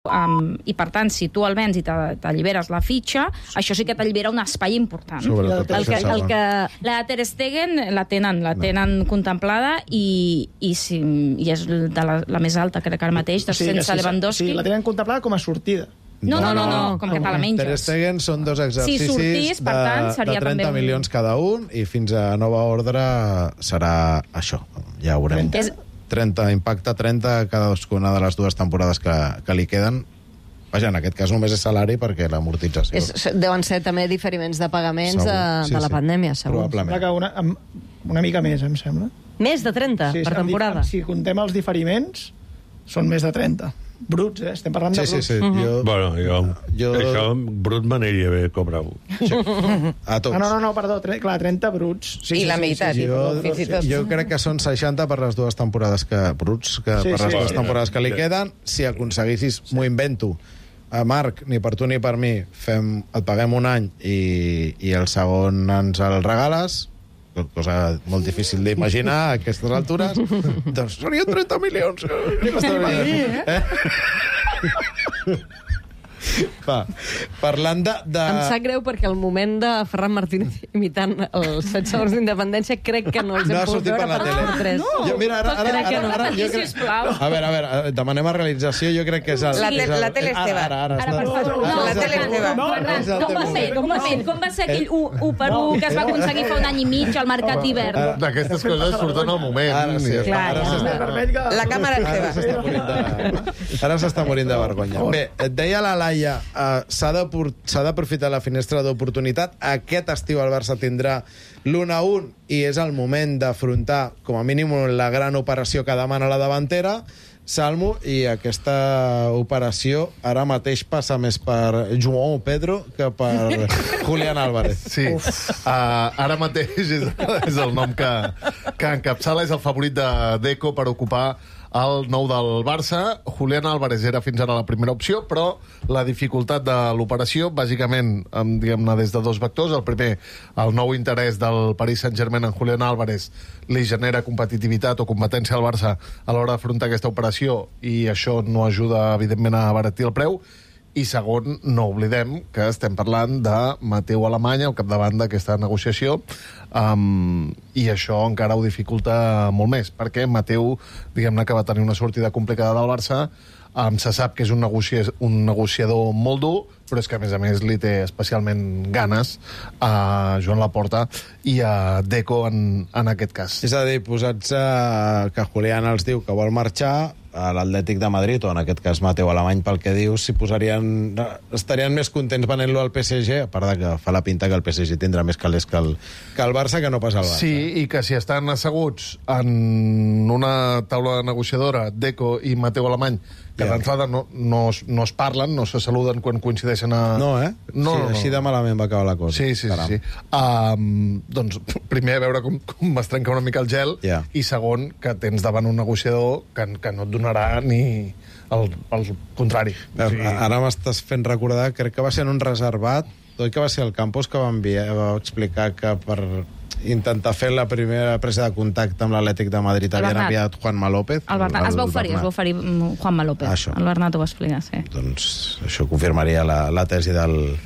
I per tant, si tu el vens i t'alliberes la fitxa, això sí que t'allibera un espai important. La Ter Stegen la tenen contemplada i és de la més alta, crec que ara mateix, sense Lewandowski. Sí, la tenen contemplada com a sortida. No, com que te la menges. Ter Stegen són 2 exercicis de 30 milions cada un i fins a nova ordre serà això. Ja ho veurem. 30, impacte 30 cadascuna de les 2 temporades que li queden. Vaja, en aquest cas només és salari perquè l'amortització... Deuen ser també diferiments de pagaments de la pandèmia, segur. Probablement. Una mica més, em sembla. Més de 30 per temporada? Si contem els diferiments, són més de 30. Bruts, estem parlant de bruts. Sí. Bueno, això brut m'aniria bé cobrar-ho. No, perdó, clar, 30 bruts. I la meitat. Jo crec que són 60 per les 2 temporades temporades que li queden. Si aconseguissis, m'ho invento, Marc, ni per tu ni per mi, et paguem un any i el segon ens el regales, cosa molt difícil d'imaginar a aquestes altures, doncs serien 30 milions. Parlant de... Em sap greu perquè el moment de Ferran Martínez imitant els 7 segons d'independència crec que no els hem pogut veure per TV3. A veure, demanem a realització, jo crec que és el... La tele Esteve. La tele Esteve. Com va ser aquell 1 per 1 que es va aconseguir fa un any i mig al mercat d'hivern? D'aquestes coses surten al moment. La càmera Esteve. Ara s'està morint de vergonya. Bé, et deia la Laia, s'ha d'aprofitar la finestra d'oportunitat. Aquest estiu el Barça tindrà l'1-1 i és el moment d'afrontar, com a mínim, la gran operació que demana la davantera, Salmo, i aquesta operació ara mateix passa més per João Pedro que per Julián Álvarez. Sí, ara mateix és el nom que encapçala, és el favorit de Deco per ocupar el nou del Barça. Julián Álvarez era fins ara la primera opció, però la dificultat de l'operació, bàsicament, diguem-ne, des de 2 vectors. El primer, el nou interès del Paris Saint-Germain en Julián Álvarez li genera competitivitat o competència al Barça a l'hora d'afrontar aquesta operació i això no ajuda, evidentment, a abaratir el preu. I segon, no oblidem que estem parlant de Mateu Alemany al capdavant d'aquesta negociació, i això encara ho dificulta molt més, perquè Mateu, diguem-ne, que va tenir una sortida complicada del Barça, se sap que és un negociador molt dur, però és que, a més, li té especialment ganes a Joan Laporta i a Deco en aquest cas. És a dir, posats que Julián els diu que vol marxar, a l'Atlètic de Madrid, o en aquest cas Mateu Alemany, pel que dius, estarien més contents venent-lo al PSG, a part de que fa la pinta que el PSG tindrà més calés que el Barça, que no pas el Barça. Sí, i que si estan asseguts en una taula negociadora, Deco i Mateu Alemany, que d'entrada no es parlen, no se saluden quan coincideixen a... No, No. Així de malament va acabar la cosa. Sí. Doncs, primer, a veure com es trenca una mica el gel, i segon, que tens davant un negociador que no et donarà ni el contrari. Ara m'estàs fent recordar, crec que va ser en un reservat, tot que va ser el Campos que va explicar que per intentar fer la primera presa de contacte amb l'Atlètic de Madrid havien enviat Juanma López. Es va oferir Juanma López. El Bernat ho va explicar, sí. Doncs això confirmaria la tesi del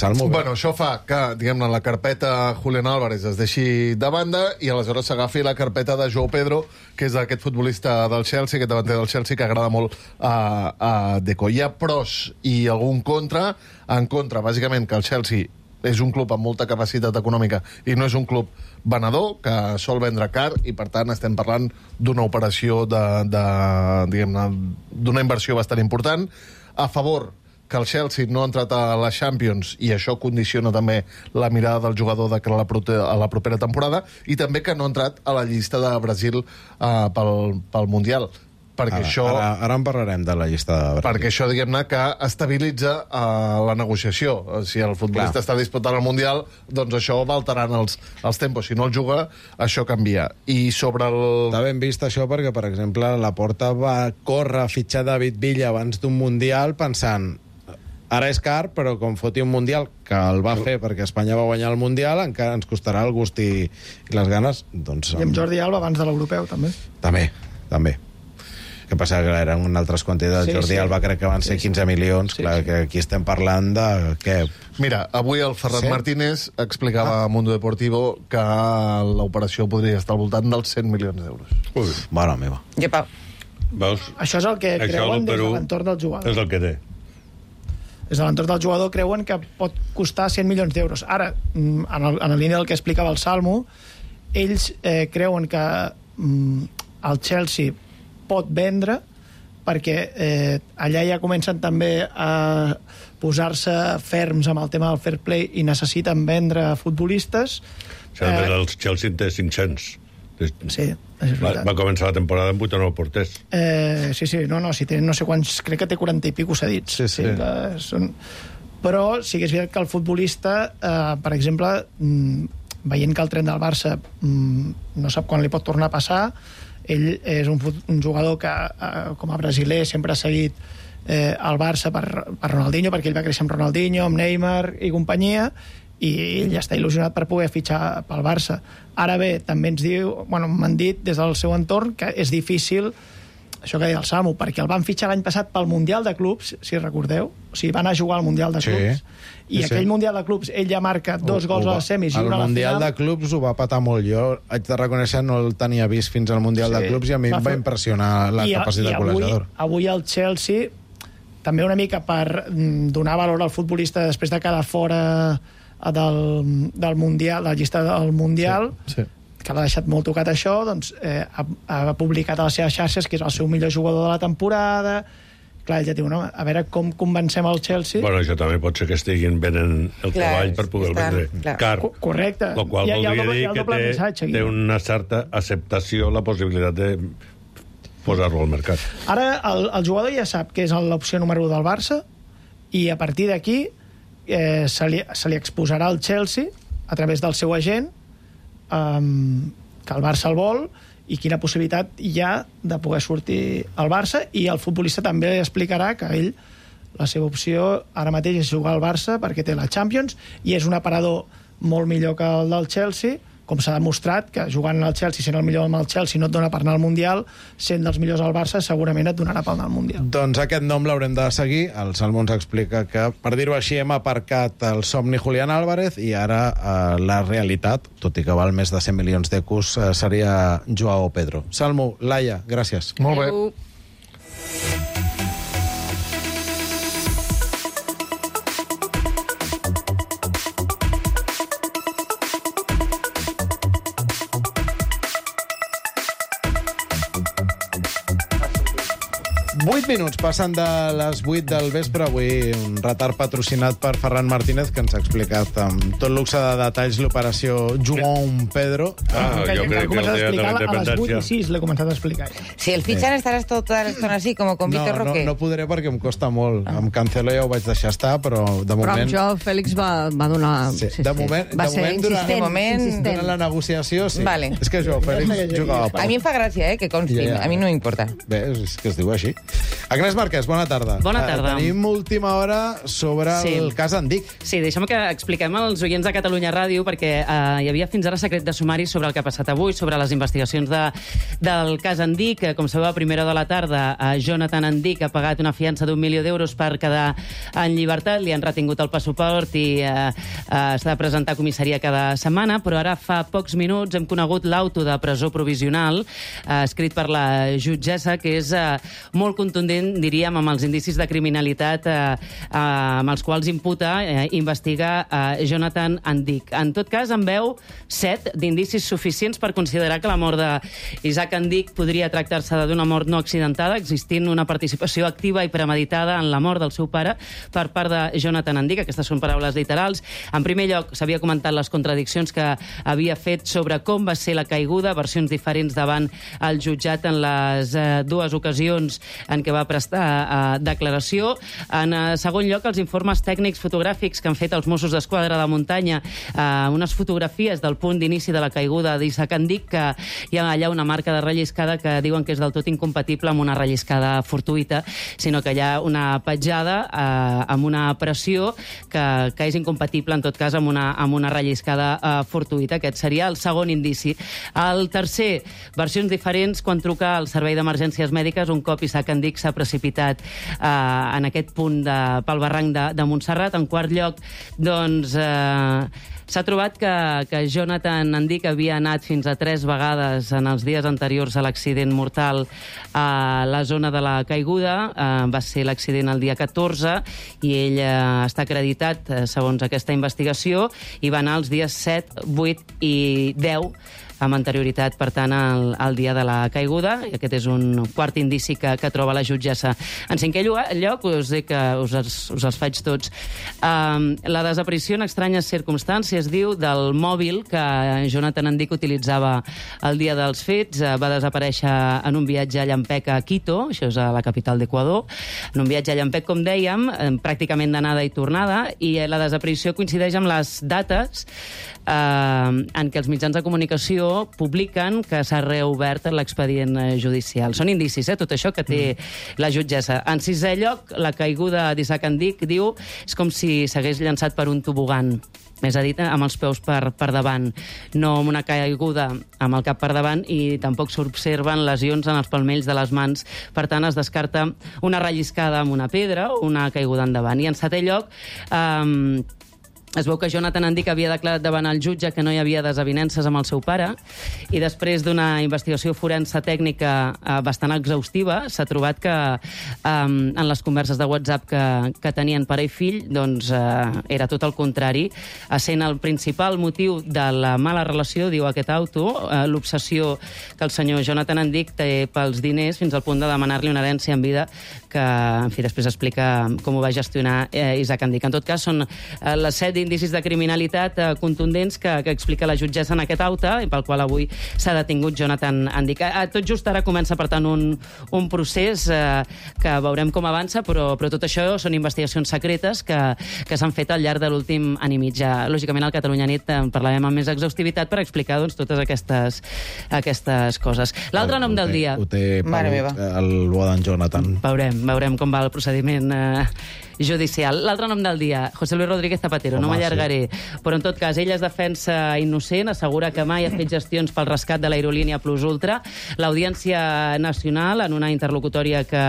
Salmo. Bueno, això fa que, diguem-ne, la carpeta Julián Álvarez es deixi de banda i aleshores s'agafi la carpeta de João Pedro, que és aquest futbolista del Chelsea, aquest davanter del Chelsea, que agrada molt a Deco. Hi ha pros i algun contra. En contra, bàsicament, que el Chelsea és un club amb molta capacitat econòmica i no és un club venedor, que sol vendre car, i per tant estem parlant d'una operació diguem-ne, d'una inversió bastant important. A favor, que el Chelsea no ha entrat a la Champions i això condiciona també la mirada del jugador de cara a la propera temporada, i també que no ha entrat a la llista de Brasil pel Mundial. Ara en parlarem de la llista de Brasil. Perquè això, diguem-ne, que estabilitza la negociació. Si el futbolista està disputant el Mundial, doncs això va alterant els tempos. Si no el juga, això canvia. I sobre el... Està ben vist això perquè, per exemple, Laporta va córrer a fitxar David Villa abans d'un Mundial pensant ara és car, però com foti un Mundial, que el va fer perquè Espanya va guanyar el Mundial, encara ens costarà el gust i les ganes. Doncs, I amb Jordi Alba abans de l'europeu, també. També. que passa que eren altres quantitats. Jordi Alba crec que van ser 15 milions. Clar, que aquí estem parlant de... Què? Mira, avui el Ferran Martínez explicava a Mundo Deportivo que l'operació podria estar al voltant dels 100 milions d'euros. Mare meva. Veus? Això és el que creuen des de l'entorn del jugador. És el que té. Des de l'entorn del jugador creuen que pot costar 100 milions d'euros. Ara, en la línia del que explicava el Salmo, ells creuen que el Chelsea pot vendre perquè allà ja comencen també a posar-se ferms amb el tema del fair play i necessiten vendre futbolistes. El Chelsea té 500. Sí, és veritat. Va començar la temporada amb 8 o 9 porters. Sí, si té no sé quants, crec que té 40 i pico cedits. Sí. Però sí que és veritat que el futbolista, per exemple, veient que el tren del Barça no sap quan li pot tornar a passar, ell és un jugador que, com a brasiler, sempre ha seguit el Barça per Ronaldinho, perquè ell va créixer amb Ronaldinho, amb Neymar i companyia, i ell ja està il·lusionat per poder fitxar pel Barça. Ara bé, també m'han dit des del seu entorn que és difícil, això que deia el Samu, perquè el van fitxar l'any passat pel Mundial de Clubs, si recordeu, o sigui, van a jugar al Mundial de Clubs, i aquell Mundial de Clubs ell ja marca 2 gols a les semis i una a la final. El Mundial de Clubs ho va patar molt. Jo haig de reconèixer, no el tenia vist fins al Mundial de Clubs i a mi em va impressionar la capacitat golejadora. Avui el Chelsea, també una mica per donar valor al futbolista després de quedar fora del Mundial, la llista del Mundial, que l'ha deixat molt tocat això, doncs ha publicat a les seves xarxes que és el seu millor jugador de la temporada. Clar, ell ja diu, no? A veure com convencem el Chelsea. Bueno, això també pot ser que estiguin venent el cavall per poder vendre car. Correcte. El qual voldria dir que té una certa acceptació la possibilitat de posar-lo al mercat. Ara el jugador ja sap que és l'opció número 1 del Barça i a partir d'aquí se li exposarà al Chelsea a través del seu agent que el Barça el vol i quina possibilitat hi ha de poder sortir al Barça, i el futbolista també explicarà que ell, la seva opció ara mateix és jugar al Barça perquè té la Champions i és un aparador molt millor que el del Chelsea, com s'ha demostrat que jugant al Chelsea, sent el millor amb el Chelsea no et dona per anar al Mundial, sent dels millors al Barça segurament et donarà per anar al Mundial. Doncs aquest nom l'haurem de seguir. El Salmo ens explica que, per dir-ho així, hem aparcat el somni Julián Álvarez i ara la realitat, tot i que val més de 100 milions d'ecos, seria Joao Pedro. Salmo, Laia, gràcies. Molt bé. 8 minuts, passen de les 8 del vespre. Avui un retard patrocinat per Ferran Martínez, que ens ha explicat amb tot luxe de detalls l'operació João Pedro. Jo crec que el dia de la independència... A les 8 i 6 l'he començat a explicar. Si el fichan estaràs tota l'estona així, com con Vitor Roque. No podré perquè em costa molt. Amb Cancelo ja ho vaig deixar estar, però de moment... Però amb Joao Fèlix va donar... Sí. De moment, durant la negociació, sí. Vale. És que Joao Fèlix jugava poc. A mi em fa gràcia, que consti. A mi no m'importa. Bé, és que es diu així. Agnès Marquès, bona tarda. Bona tarda. Tenim última hora sobre el cas Andic. Sí, deixa'm que expliquem als oients de Catalunya Ràdio, perquè hi havia fins ara secret de sumari sobre el que ha passat avui, sobre les investigacions del cas Andic. Com sabeu, a primera hora de la tarda, Jonathan Andic ha pagat una fiança d'1 milió d'euros per quedar en llibertat, li han retingut el passaport i s'ha de presentar a comissaria cada setmana, però ara fa pocs minuts hem conegut l'auto de presó provisional escrit per la jutgessa, que és molt contundent, diríem, amb els indicis de criminalitat amb els quals imputa, investiga Jonathan Andic. En tot cas, en veu 7 d'indicis suficients per considerar que la mort d'Isaac Andic podria tractar-se d'una mort no accidentada, existint una participació activa i premeditada en la mort del seu pare per part de Jonathan Andic. Aquestes són paraules literals. En primer lloc, s'havia comentat les contradiccions que havia fet sobre com va ser la caiguda, versions diferents davant el jutjat en les dues ocasions en què va prestar declaració. En segon lloc, els informes tècnics fotogràfics que han fet els Mossos d'Esquadra de muntanya, unes fotografies del punt d'inici de la caiguda d'Isaac Andic, que hi ha allà una marca de relliscada que diuen que és del tot incompatible amb una relliscada fortuïta, sinó que hi ha una petjada amb una pressió que és incompatible, en tot cas, amb una relliscada fortuïta. Aquest seria el segon indici. El tercer, versions diferents quan truca al servei d'emergències mèdiques un cop Isaac Andic s'ha precipitat en aquest punt pel barranc de Montserrat. En quart lloc, doncs, s'ha trobat que Jonathan Andic havia anat fins a 3 vegades en els dies anteriors a l'accident mortal a la zona de la caiguda. Va ser l'accident el dia 14 i ell està acreditat, segons aquesta investigació, i va anar els dies 7, 8 i 10 amb anterioritat, per tant, al dia de la caiguda. I aquest és un quart indici que troba la jutgessa. En cinquè lloc, us dic que us els faig tots. La desaparició en estranyes circumstàncies, diu, del mòbil que Jonathan Andic utilitzava el dia dels fets. Va desaparèixer en un viatge a Llampec a Quito, això és a la capital d'Equador, en un viatge a Llampec, com dèiem, pràcticament d'anada i tornada, i la desaparició coincideix amb les dates en què els mitjans de comunicació publiquen que s'ha reobert l'expedient judicial. Són indicis, tot això que té la jutgessa. En sisè lloc, la caiguda d'Isaac Andic, diu, és com si s'hagués llançat per un tobogan. Més a dit, amb els peus per davant, no amb una caiguda amb el cap per davant, i tampoc s'observen lesions en els palmells de les mans. Per tant, es descarta una relliscada amb una pedra o una caiguda endavant. I en setè lloc, es veu que Jonathan Andic havia declarat davant el jutge que no hi havia desavinences amb el seu pare, i després d'una investigació forense tècnica bastant exhaustiva, s'ha trobat que en les converses de WhatsApp que tenien pare i fill, doncs era tot el contrari, essent el principal motiu de la mala relació, diu aquest auto, l'obsessió que el senyor Jonathan Andic té pels diners, fins al punt de demanar-li una herència en vida, que, en fi, després explica com ho va gestionar Isaac Andic. En tot cas, són les 7 indicis de criminalitat contundents que explica la jutgessa en aquest auto, i pel qual avui s'ha detingut Jonathan Andic. Tot just ara comença, per tant, un procés que veurem com avança, però tot això són investigacions secretes que s'han fet al llarg de l'últim any i mig. Lògicament, al Catalunya Nit en parlarem amb més exhaustivitat per explicar, doncs, totes aquestes coses. L'altre nom del dia... Ho té el bo d'en Jonathan. Veurem com va el procediment judicial. L'altre nom del dia, José Luis Rodríguez Zapatero. No m'allargaré, però en tot cas, ell es defensa innocent, assegura que mai ha fet gestions pel rescat de l'aerolínia Plus Ultra. L'Audiència Nacional, en una interlocutòria que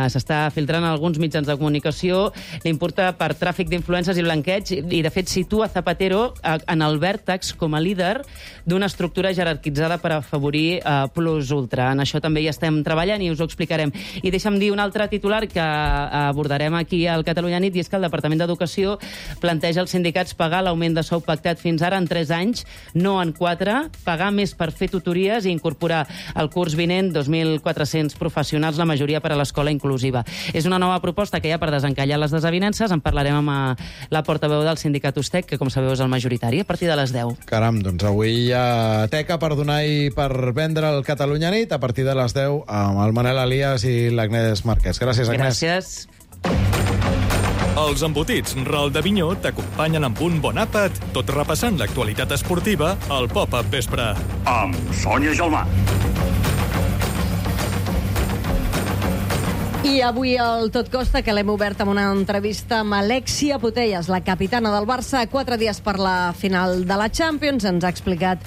s'està filtrant en alguns mitjans de comunicació, l'importa per tràfic d'influències i blanqueig, i de fet situa Zapatero en el vèrtex com a líder d'una estructura jerarquitzada per afavorir Plus Ultra. En això també hi estem treballant i us ho explicarem. I deixa'm dir un altre titular que abordarem aquí al Catalunya Nit, i és que el Departament d'Educació planteja als sindicats pagar l'augment de sou pactat fins ara en 3 anys, no en 4, pagar més per fer tutories i incorporar al curs vinent 2.400 professionals, la majoria per a l'escola inclusiva. És una nova proposta que hi ha per desencallar les desavinences. En parlarem amb la portaveu del sindicat USTEC, que, com sabeu, és el majoritari, a partir de les 10. Caram, doncs avui hi ha teca per donar i per vendre el Catalunya Nit a partir de les 10 amb el Manel Elias i l'Agnès Marquès. Gràcies, Agnès. Gràcies. Els embotits Ral de Vinyó t'acompanyen amb un bon àpat, tot repassant l'actualitat esportiva al Pop-Up Vespre. Amb Sònia Gelmà. I avui el Tot Costa, que l'hem obert amb una entrevista amb Alexia Putellas, la capitana del Barça, 4 dies per la final de la Champions. Ens ha explicat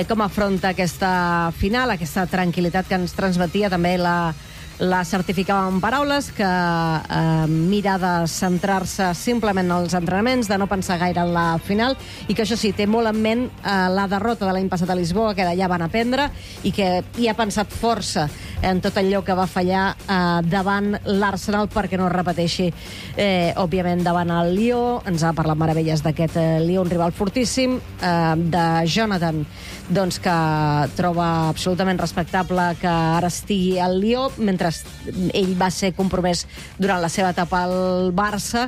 com afronta aquesta final, aquesta tranquil·litat que ens transmetia. També la certificava en paraules, que mira de centrar-se simplement en els entrenaments, de no pensar gaire en la final, i que això sí, té molt en ment la derrota de l'any passat a Lisboa, que d'allà van aprendre, i que hi ha pensat força en tot allò que va fallar davant l'Arsenal perquè no es repeteixi, òbviament, davant el Lió. Ens ha parlat meravelles d'aquest Lió, un rival fortíssim, de Jonathan, doncs, que troba absolutament respectable que ara estigui al Lió, mentre ell va ser compromès durant la seva etapa al Barça.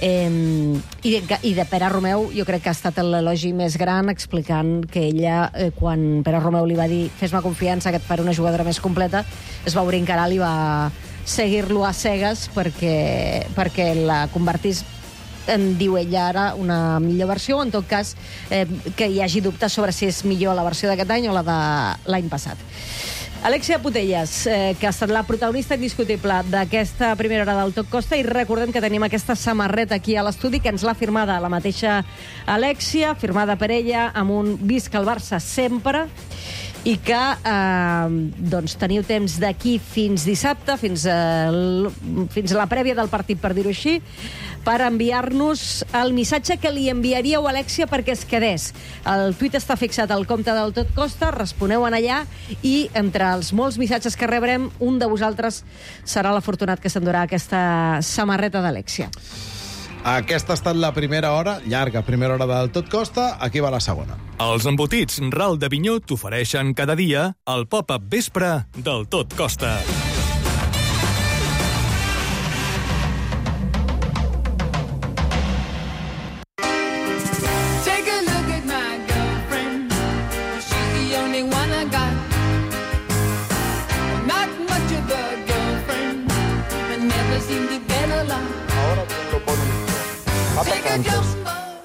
I de Pere Romeu jo crec que ha estat l'elogi més gran, explicant que ella, quan Pere Romeu li va dir fes-me confiança que et faré una jugadora més completa, es va obrir encara, li va seguir-lo a cegues perquè la convertís, en diu ella ara, una millor versió, o en tot cas que hi hagi dubtes sobre si és millor la versió d'aquest any o la de l'any passat. Alexia Putellas, que ha estat la protagonista indiscutible d'aquesta primera hora del Tot Costa, i recordem que tenim aquesta samarreta aquí a l'estudi, que ens l'ha firmada la mateixa Alexia, firmada per ella, amb un visca el Barça sempre, i que doncs teniu temps d'aquí fins dissabte, fins a la prèvia del partit, per dir-ho així, per enviar-nos el missatge que li enviaríeu a Alexia perquè es quedés. El tuit està fixat al compte del Tot Costa, responeu en allà i entre els molts missatges que rebrem, un de vosaltres serà l'afortunat que s'endurà aquesta samarreta d'Alexia. Aquesta ha estat la primera hora, llarga primera hora del Tot Costa, aquí va la segona. Els embotits Ral d'Avinyó t'ofereixen cada dia el pop-up vespre del Tot Costa.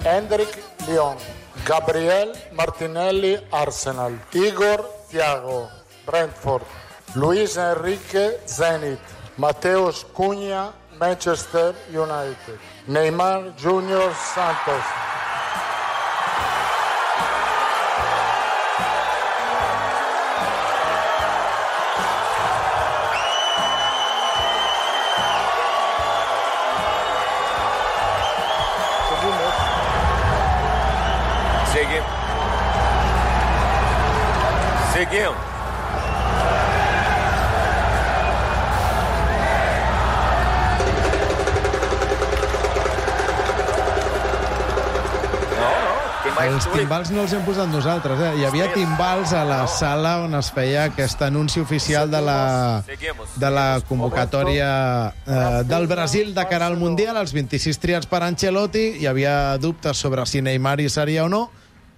Hendrik Lyon, Gabriel Martinelli, Arsenal, Igor Thiago, Brentford, Luis Enrique, Zenit, Mateus Cunha, Manchester United, Neymar Junior, Santos. Seguimos. Els timbals no els hem posat nosaltres, eh? Hi havia timbals a la sala on es feia aquest anunci oficial de la convocatòria del Brasil de cara al Mundial, els 26 triats per Ancelotti. Hi havia dubtes sobre si Neymar hi seria o no.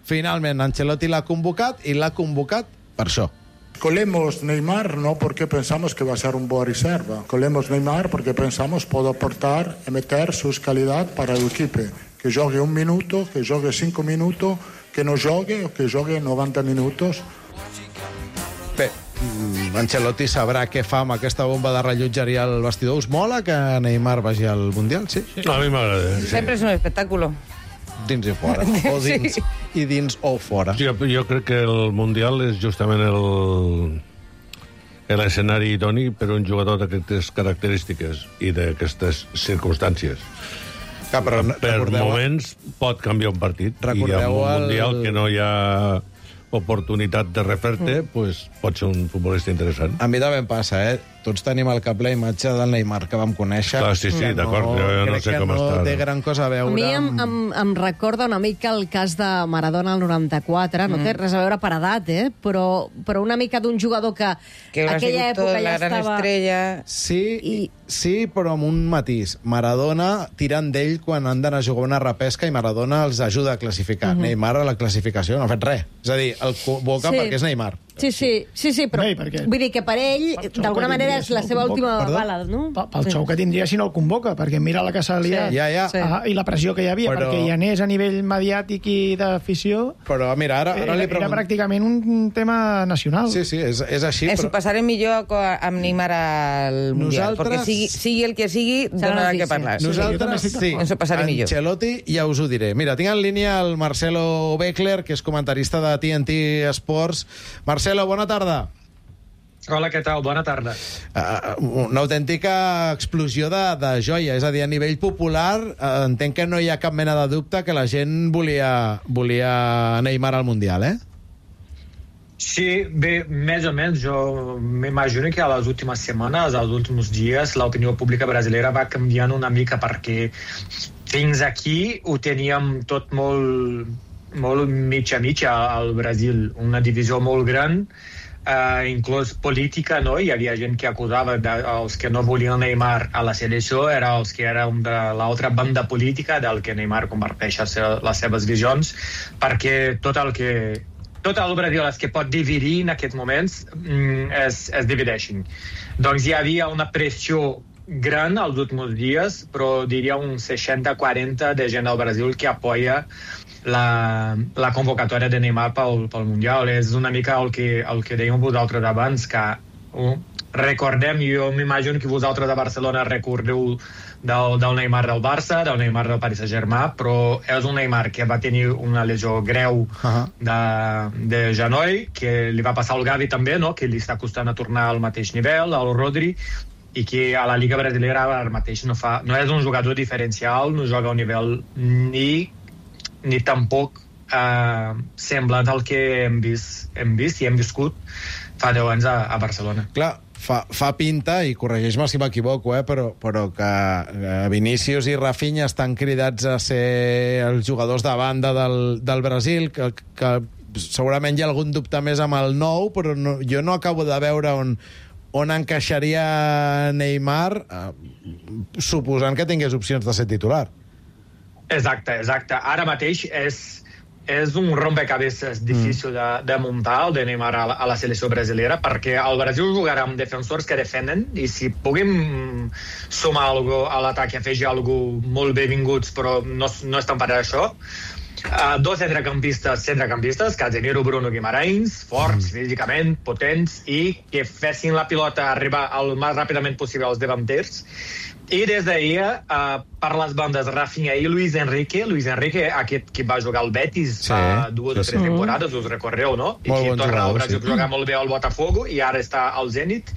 Finalment, Ancelotti l'ha convocat, i l'ha convocat per això. Colemos Neymar no porque pensamos que va a ser un buena reserva. Colemos Neymar porque pensamos puede aportar y meter sus calidad para el equipo. Que juegue un minuto, que juegue 5 minutos, que no juegue o que juegue 90 minutos. Bé, Ancelotti sabrà què fa amb aquesta bomba de rellotgeria al vestidor. Us mola que Neymar vagi al Mundial, sí? A mi m'agrada. Sí. Sempre és un espectáculo. Dins i fora. O dins, sí. I dins o fora. Sí, jo crec que el Mundial és justament l'escenari idoni per un jugador d'aquestes característiques i d'aquestes circumstàncies. Per moments pot canviar un partit. I amb un Mundial que no hi ha oportunitat de refer-te, pues, pot ser un futbolista interessant. A mi també em passa, Tots tenim al cap la imatge del Neymar que vam conèixer. Clar, sí, d'acord, jo no sé com està. Crec que no té gran cosa a veure. A mi em recorda una mica el cas de Maradona al 94, no té res a veure per edat, però una mica d'un jugador que aquella època ja estava... Estrella. Sí, però amb un matís. Maradona tiren d'ell quan han d'anar a jugar una repesca i Maradona els ajuda a classificar. Neymar a la classificació no ha fet res. És a dir, el convoca perquè és Neymar. Sí, però vull dir que per ell, d'alguna manera, és la seva última bala, no? Pel xou que tindria si no el convoca, perquè mira la que s'ha liat i la pressió que hi havia, perquè hi anés a nivell mediàtic i d'afició. Però mira, ara li pregunto... Era pràcticament un tema nacional. Sí, és així. Ens ho passarem millor amb Neymar al Mundial, perquè sigui el que sigui, donarà que parlar. Nosaltres sí. Ens ho passarem millor. Ancelotti, ja us ho diré. Mira, tinc en línia el Marcelo Beckler, que és comentarista de TNT Sports. Marcelo, bona tarda. Hola, què tal? Bona tarda. Una autèntica explosió de joia. És a dir, a nivell popular, entenc que no hi ha cap mena de dubte que la gent volia Neymar al Mundial, Sí, bé, més o menys. Jo m'imagino que a les últimes setmanes, als últims dies, l'opinió pública brasileira va canviant una mica, perquè fins aquí ho teníem tot molt mitja al Brasil. Una divisió molt gran, inclús política, no? Hi havia gent que acusava els que no volien Neymar a la selecció, era els que eren de l'altra banda política del que Neymar comparteix les seves visions, perquè tot el que tot el Brasil és que pot dividir en aquests moments es divideixen. Doncs hi havia una pressió gran els últims dies, però diria un 60-40 de gent al Brasil que apoya la convocatòria de Neymar pel Mundial. És una mica el que dèiem vosaltres abans, que recordem, jo m'imagino que vosaltres de Barcelona recordeu del Neymar del Barça, del Neymar del Paris Saint-Germain, però és un Neymar que va tenir una lesió greu de genoll, que li va passar al Gavi també, no? Que li està costant a tornar al mateix nivell, al Rodri, i que a la Lliga Brasilera ara mateix no és un jugador diferencial, no joga a un nivell ni tampoc semblant al que hem vist i hem viscut fa 10 anys a Barcelona. Clar, fa pinta, i corregeix-me si m'equivoco, però que Vinícius i Rafinha estan cridats a ser els jugadors de banda del Brasil, que segurament hi ha algun dubte més amb el nou, però jo no acabo de veure on encaixaria Neymar, suposant que tingués opcions de ser titular. Exacte. Ara mateix és un rompecabezas difícil de muntar, el de Neymar a la selecció brasilera, perquè el Brasil jugarà amb defensors que defenen, i si puguem sumar alguna cosa a l'atac i afegir alguna cosa molt benvinguts, però no estan per això. Dos centrecampistes, Casemiro, Bruno Guimarães, forts físicament, potents, i que fessin la pilota arribar el més ràpidament possible als davanters. I des d'ahir, per les bandes, Rafinha i Luis Enrique, aquest que va jugar al Betis fa 2 o 3 temporades, us recordeu, no? I que torna al Brasil a jugar molt bé al Botafogo, i ara està al Zenit.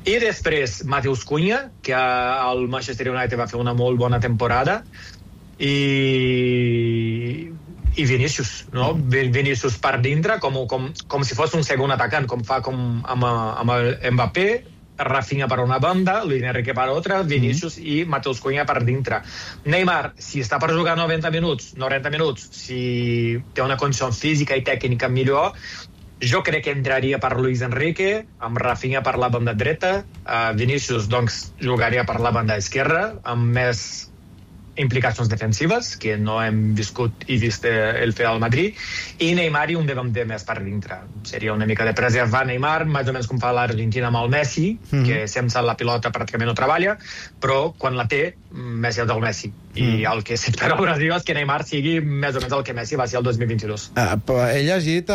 I després, Matheus Cunha, que al Manchester United va fer una molt bona temporada, i Vinícius, no? Vinícius per dintre, com si fos un segon atacant, com fa amb el Mbappé, Rafinha per una banda, Luis Enrique per altra, Vinícius i Matheus Cunha per dintre. Neymar, si està per jugar 90 minuts, si té una condició física i tècnica millor, jo crec que entraria per Luis Enrique, amb Rafinha per la banda dreta, Vinícius doncs jugaria per la banda esquerra, amb més implicacions defensives, que no hem viscut i vist el fer al Madrid, i Neymar i un davanter més per dintre. Seria una mica de preservar Neymar, més o menys com fa l'Argentina amb el Messi, que sense la pilota pràcticament no treballa, però quan la té, Messi és el Messi. I el que s'espera al Brasil és que Neymar sigui més o menys el que Messi va ser el 2022. He llegit,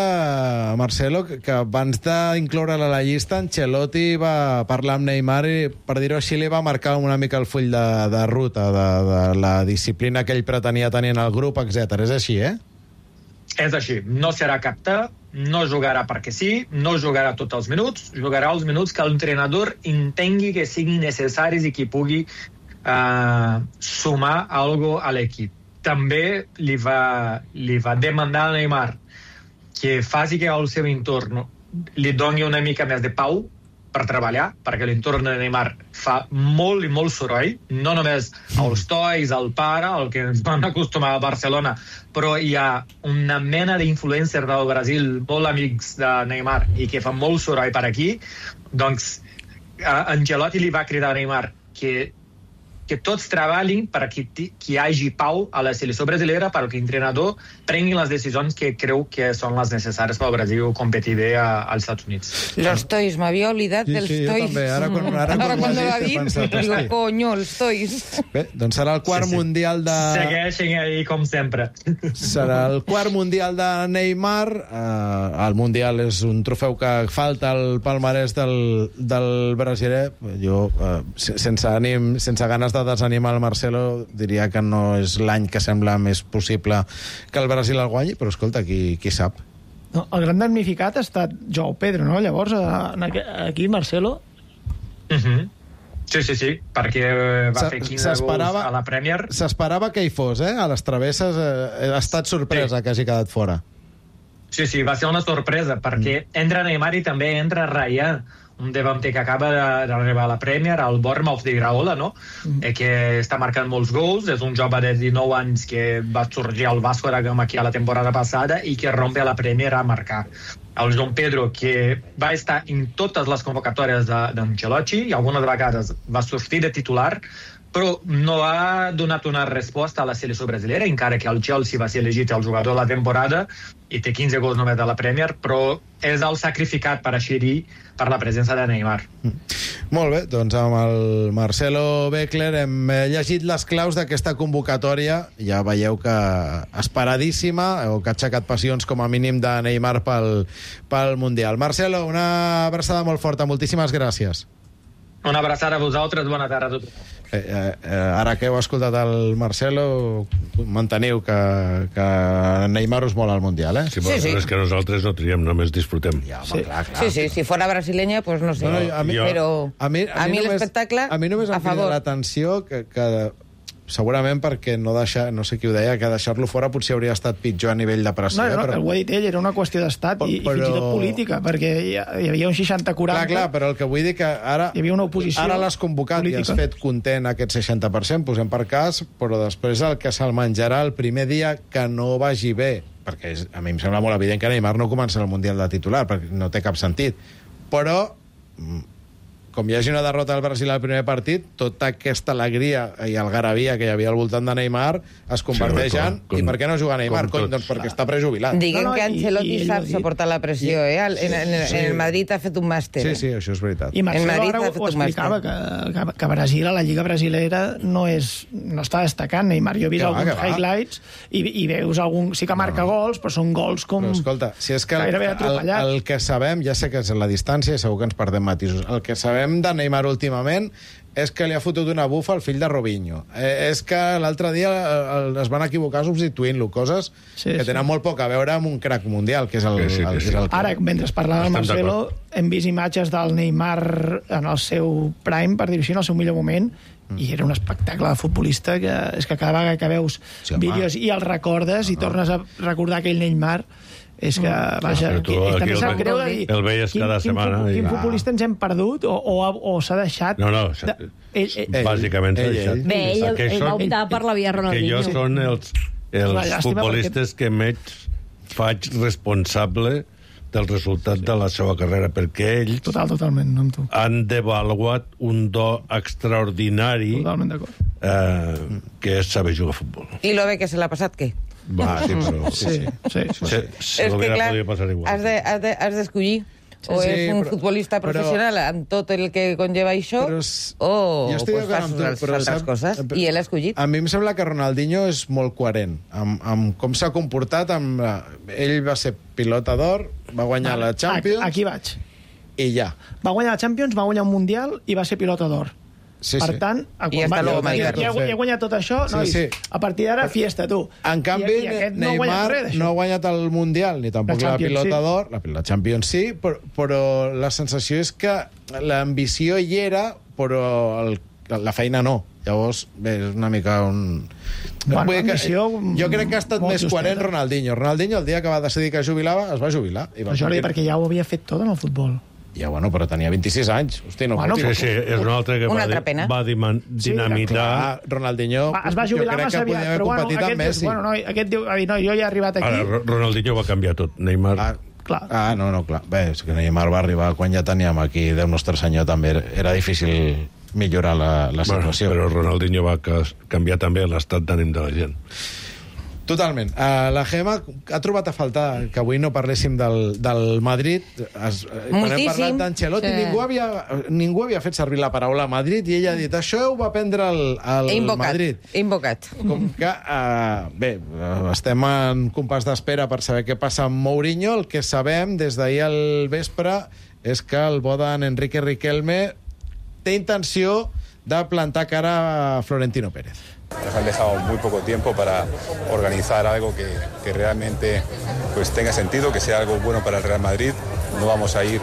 Marcelo, que abans d'incloure-la a la llista, Ancelotti va parlar amb Neymar i, per dir-ho així, li va marcar una mica el full de ruta de la disciplina que ell pretenia tenir en el grup, etc. És així, És així. No serà captar, no jugarà perquè sí, no jugarà tots els minuts, jugarà els minuts que l'entrenador entengui que siguin necessaris i que pugui sumar algo a l'equip. També li va demandar a Neymar que faci que el seu entorn li doni una mica més de pau per treballar, perquè l'entorn de Neymar fa molt i molt soroll, no només els tois, el pare, el que ens van acostumar a Barcelona, però hi ha una mena d'influencers del Brasil, molt amics de Neymar, i que fan molt soroll per aquí. Doncs Ancelotti li va cridar a Neymar que tots treballin perquè hi hagi pau a la selecció brasilera, perquè l'entrenador prengui les decisions que creu que són les necessàries pel Brasil competir bé als Estats Units. Los tois, m'havia oblidat dels tois. Jo també, ara quan ho va dir, digo, coño, els tois. Bé, doncs serà el quart mundial de... Segueixen ahí, com sempre. Serà el quart mundial de Neymar. El mundial és un trofeu que falta al palmarès del brasiler. Jo, sense ganes de desanimar el Marcelo, diria que no és l'any que sembla més possible que el Brasil el guanyi, però escolta, qui sap. No, el gran damnificat ha estat Joao Pedro, no? Llavors, aquí, Marcelo... Sí, perquè va fer 15 gols a la Premier. S'esperava que hi fos, A les travesses ha estat sorpresa que hagi quedat fora. Sí, va ser una sorpresa, perquè entra Neymar i també entra Raya, un davanter que acaba d'arribar a la Premier, al Bournemouth d'Iraola, no? Que està marcant molts gols, és un jove de 19 anys que va sorgir al Vasco da Gama aquí a la temporada passada i que rompe a la Premier a marcar. El João Pedro, que va estar en totes les convocatòries d'Ancelotti i algunes vegades va sortir de titular, però no ha donat una resposta a la selecció brasilera, encara que el Chelsea va ser elegit el jugador de la temporada i té 15 gols només de la Premier, però és el sacrificat, per així dir, per la presència de Neymar. Molt bé, doncs amb el Marcelo Beckler hem llegit les claus d'aquesta convocatòria. Ja veieu que esperadíssima, o que ha aixecat passions com a mínim de Neymar pel Mundial. Marcelo, una abraçada molt forta, moltíssimes gràcies. Una abraçada a vosaltres, bona tarda a tothom. Ara que heu escoltat el Marcelo, manteniu que Neymar us mola al Mundial, eh? Sí, però és que nosaltres no triem, només disfrutem. Ja, home, clar. Sí, si fora brasileña, pues no sé. Però a mi l'espectacle, a mi només em crida l'atenció que segurament perquè no sé qui ho deia, que deixar-lo fora potser hauria estat pitjor a nivell de pressió. No, ho ha dit ell, era una qüestió d'estat i fins i tot política, perquè hi havia un 60-40. Clar, però el que vull dir que ara hi havia una oposició. Ara l'has convocat política. I has fet content aquest 60%, posem per cas, però després el que se'l menjarà el primer dia que no vagi bé, perquè a mi em sembla molt evident que Neymar no comença el Mundial de titular, perquè no té cap sentit. Però com hi hagi una derrota del Brasil al primer partit, tota aquesta alegria i algarabia que hi havia al voltant de Neymar es converteix en... I per què no juga Neymar? Doncs perquè està prejubilat. Diguem que Ancelotti sap suportar la pressió, eh? En el Madrid ha fet un màster. Sí, això és veritat. I Marcelo ara ho explicava, que Brasil, a la Lliga Brasilera, no està destacant. Neymar, jo he vist alguns highlights i veus algun... Sí que marca gols, però són gols com... Però escolta, si és que el que sabem, ja sé que és la distància i segur que ens perdem matisos, el que sabem de Neymar últimament és que li ha fotut una bufa al fill de Robinho. És que l'altre dia es van equivocar substituint-lo, coses que tenen molt poc a veure amb un crack mundial, que és el Ara, mentre parlava el Marcelo, hem vist imatges del Neymar en el seu prime, per dir-ho així, en el seu millor moment, i era un espectacle de futbolista que és que cada vegada que veus vídeos i els recordes i tornes a recordar aquell Neymar, és que, vaja, també sap greu de dir el veies cada setmana. Quin futbolista ens hem perdut o s'ha deixat... No, bàsicament s'ha deixat. Bé, ell va optar per la via Ronaldinho. Que jo són els futbolistes que més faig responsable del resultat de la seva carrera, perquè ells totalment, amb tu. Han devaluat un do extraordinari que és saber jugar a futbol. I lo bé que se l'ha passat, què? Va, sí, però... Sí. Se l'hubiera podido passar igual. Has d'escollir. O és un futbolista professional amb tot el que conlleva això, o fas altres coses, i ell ha escollit. A mi em sembla que Ronaldinho és molt coherent amb com s'ha comportat. Ell va ser pilota d'or, va guanyar la Champions... Aquí vaig. I ja. Va guanyar la Champions, va guanyar un Mundial i va ser pilota d'or. Per tant, ja he guanyat tot això, nois. A partir d'ara, fiesta, tu. En canvi, Neymar no ha guanyat el Mundial, ni tampoc la pilota d'or, la Champions sí, però la sensació és que l'ambició hi era, però la feina no. Llavors, bé, és una mica un... Jo crec que ha estat més coherent Ronaldinho. Ronaldinho, el dia que va decidir que jubilava, es va jubilar. Però Jordi, perquè ja ho havia fet tot en el futbol. Ja, bueno, però tenia 26 anys. Hosti, no sí, és un altre que va dinamitar... Ronaldinho... Es va jubilar massa aviat, però aquest diu, jo ja he arribat aquí... Ara, Ronaldinho va canviar tot. Neymar... Clar. Clar. Bé, és que Neymar va arribar quan ja teníem aquí Déu nostre senyor, també era difícil millorar la situació. Però Ronaldinho va canviar també l'estat d'ànim de la gent. Totalment. La Gemma ha trobat a faltar que avui no parléssim del Madrid. Quan hem parlat d'Ancelotti, ningú havia fet servir la paraula Madrid i ella ha dit, això ho va prendre el Madrid. Invocat. Com que, bé, estem en compàs d'espera per saber què passa amb Mourinho. El que sabem des d'ahir al vespre és que el bo d'en Enrique Riquelme té intenció de plantar cara a Florentino Pérez. Nos han dejado muy poco tiempo para organizar algo que realmente pues tenga sentido, que sea algo bueno para el Real Madrid. No vamos a ir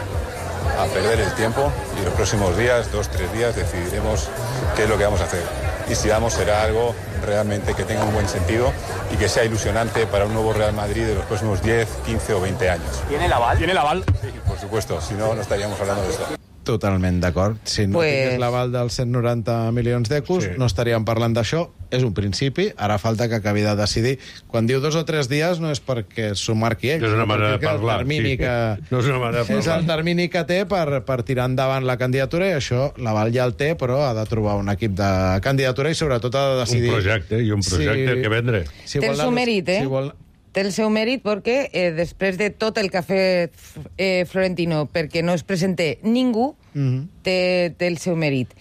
a perder el tiempo y los próximos días, 2-3 días, decidiremos qué es lo que vamos a hacer. Y si vamos, será algo realmente que tenga un buen sentido y que sea ilusionante para un nuevo Real Madrid de los próximos 10, 15 o 20 años. ¿Tiene el aval? ¿Tiene el aval? Sí, por supuesto, si no, no estaríamos hablando de esto. Totalment d'acord. Si no tingués l'aval dels 190 milions d'euros, no estaríem parlant d'això. És un principi, ara falta que acabi de decidir. Quan diu 2 o 3 dies no és perquè s'ho marqui ell, és una manera de parlar. No és una manera de parlar. És el termini que té per tirar endavant la candidatura, i això l'aval ja el té, però ha de trobar un equip de candidatura i sobretot ha de decidir... Un projecte que vendre. Té el seu mèrit, Té el seu mèrit perquè després de tot el que ha fet Florentino perquè no es presente ningú, té el seu mèrit.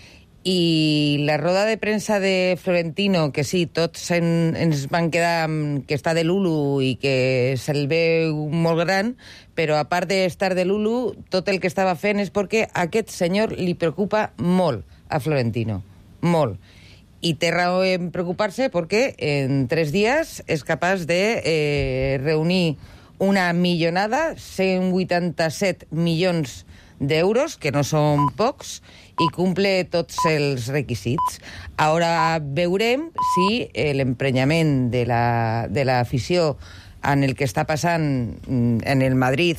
I la roda de premsa de Florentino, que sí, tots ens van quedar que està de l'Ulu i que se'l veu molt gran, però a part d'estar de l'Ulu, tot el que estava fent és perquè a aquest senyor li preocupa molt a Florentino. Molt. I té raó en preocupar-se perquè en 3 dies és capaç de reunir una millonada, 187 milions d'euros, que no són pocs, i cumple tots els requisits. Ara veurem si l'emprenyament de l'afició en el que està passant en el Madrid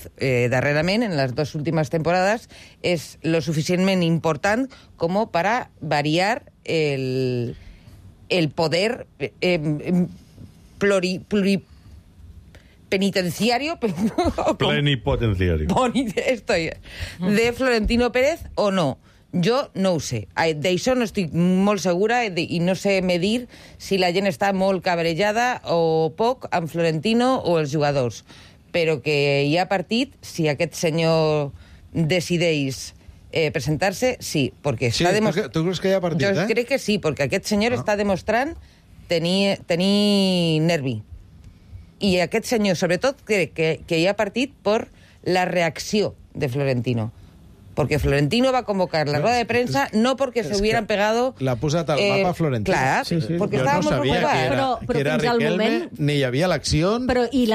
darrerament, en les 2 últimes temporades, és lo suficientment important com per a variar el poder plenipotenciario de Florentino Pérez o no. Jo no ho sé. D'això no estic molt segura i no sé medir si la gent està molt cabrejada o poc amb Florentino o els jugadors. Però que hi ha partit, si aquest senyor decideix presentar-se, sí, perquè està demostrant... Tu creus que hi ha partit, Jo crec que sí, perquè aquest senyor està demostrant tenir nervi. I aquest senyor, sobretot, crec que hi ha partit per la reacció de Florentino. Porque Florentino va a convocar la rueda de prensa no porque se hubieran pegado... L'ha posat al mapa Florentino. Clar, porque estava molt preocupat. Que era Riquelme, ni hi havia eleccions... Però i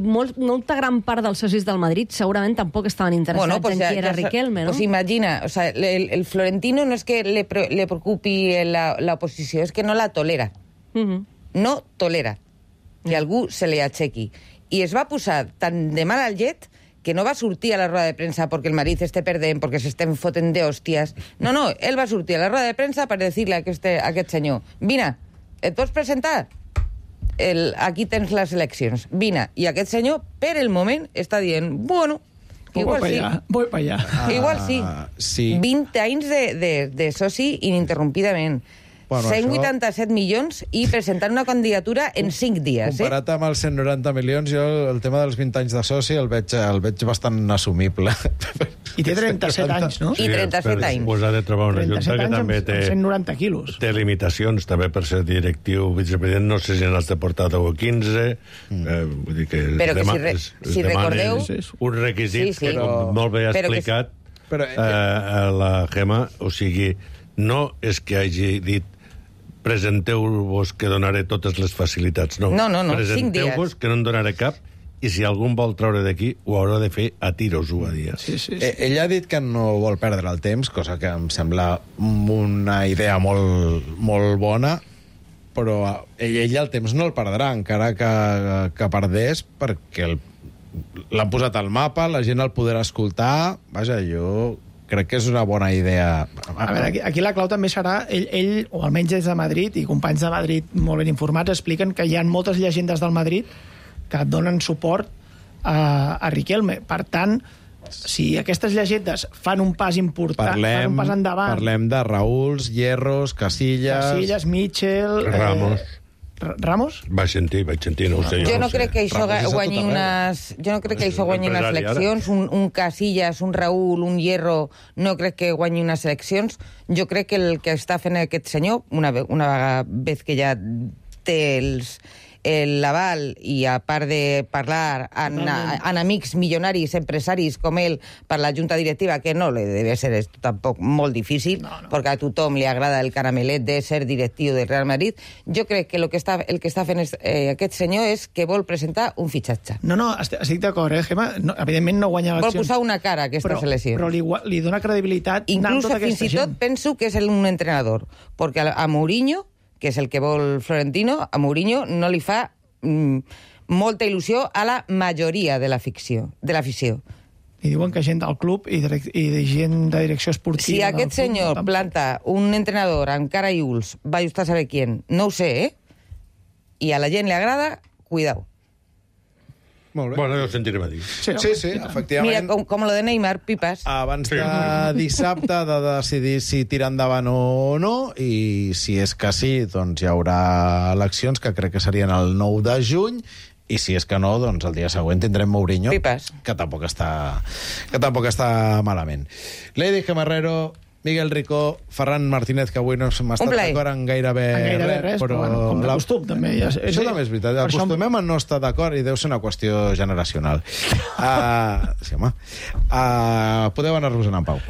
molta gran part dels socis del Madrid segurament tampoc estaven interessats en qui era Riquelme, ¿no? Pues imagina, o sea, el Florentino no es que le preocupi la oposició, es que no la tolera. No tolera que algú se li aixequi. I es va posar tan de mal al llet que no va sortir a la roda de premsa perquè el Madrid esté perdent, perquè s'estem fotent d'hòsties. No, ell va sortir a la roda de premsa per dir-li a aquest senyor: vine, et pots presentar? Aquí tens les eleccions. Vine. I aquest senyor, per el moment, està dient, bueno, igual sí. Voy pa allá. Igual sí. 20 anys de soci ininterrompidament. 187 milions i presentar una candidatura en 5 dies. Comparat amb els 190 milions, jo el tema dels 20 anys de soci el veig bastant assumible. I té 37 anys, no? I 37 anys. Pues ha de trobar una junta que també té... 190 quilos. Té limitacions, també per ser directiu vicepresident, no sé si n'has de portar 10 o 15, vull dir que... Però que si recordeu... Un requisit que, com molt bé ha explicat la Gemma, o sigui, no és que hagi dit presenteu-vos que donaré totes les facilitats. No, presenteu-vos que no en donaré cap, i si algú vol treure d'aquí, ho haurà de fer a tiros, ho va dir. Sí. Ell ha dit que no vol perdre el temps, cosa que em sembla una idea molt bona, però ell el temps no el perdrà, encara que perdés, perquè l'han posat al mapa, la gent el podrà escoltar. Vaja, jo... crec que és una bona idea. A veure, aquí la clau també serà, ell, o almenys des de Madrid, i companys de Madrid molt ben informats, expliquen que hi ha moltes llegendes del Madrid que donen suport a Riquelme. Per tant, si aquestes llegendes fan un pas important, fan un pas endavant... Parlem de Raúls, Hierros, Casillas, Mitchell... Ramos? Vaig sentir, no ho sé. Jo no crec que això guanyi unes eleccions, un Casillas, un Raúl, un Hierro, no crec que guanyi unes eleccions. Jo crec que el que està fent aquest senyor, una vegada que ja té l'aval i a part de parlar amb amics milionaris, empresaris com ell per la junta directiva, que no li deve ser tampoc molt difícil, perquè a tothom li agrada el caramelet de ser directiu del Real Madrid. Jo crec que el que està fent aquest senyor és que vol presentar un fitxatge. No, estic d'acord, Gemma. No, evidentment no guanya eleccions. Vol posar una cara a aquestes eleccions. Però li dona credibilitat. Inclús fins i tot penso que és un entrenador, perquè a Mourinho, que és el que vol Florentino, a Mourinho no li fa molta il·lusió a la majoria de l'afició. i diuen que gent del club i gent de direcció esportiva... Si aquest senyor planta un entrenador amb cara i ulls, vaya usted a saber quién, no ho sé, i a la gent li agrada, cuidao. Molt bé. Bueno, ja ho sentirem a dir. Sí, efectivament. Mira, com lo de Neymar, pipas. Abans de dissabte de decidir si tirar endavant o no, i si és que sí, doncs hi haurà eleccions, que crec que serien el 9 de juny, i si és que no, doncs el dia següent tindrem Mourinho, que tampoc està malament. Lady Gemarrero, Miguel Ricó, Ferran Martínez, que avui no m'ha estat d'acord en gairebé res, però com de costum, també. Això també és veritat. Acostumem a no estar d'acord i deu ser una qüestió generacional. Sí, home. Podeu anar-vos en pau.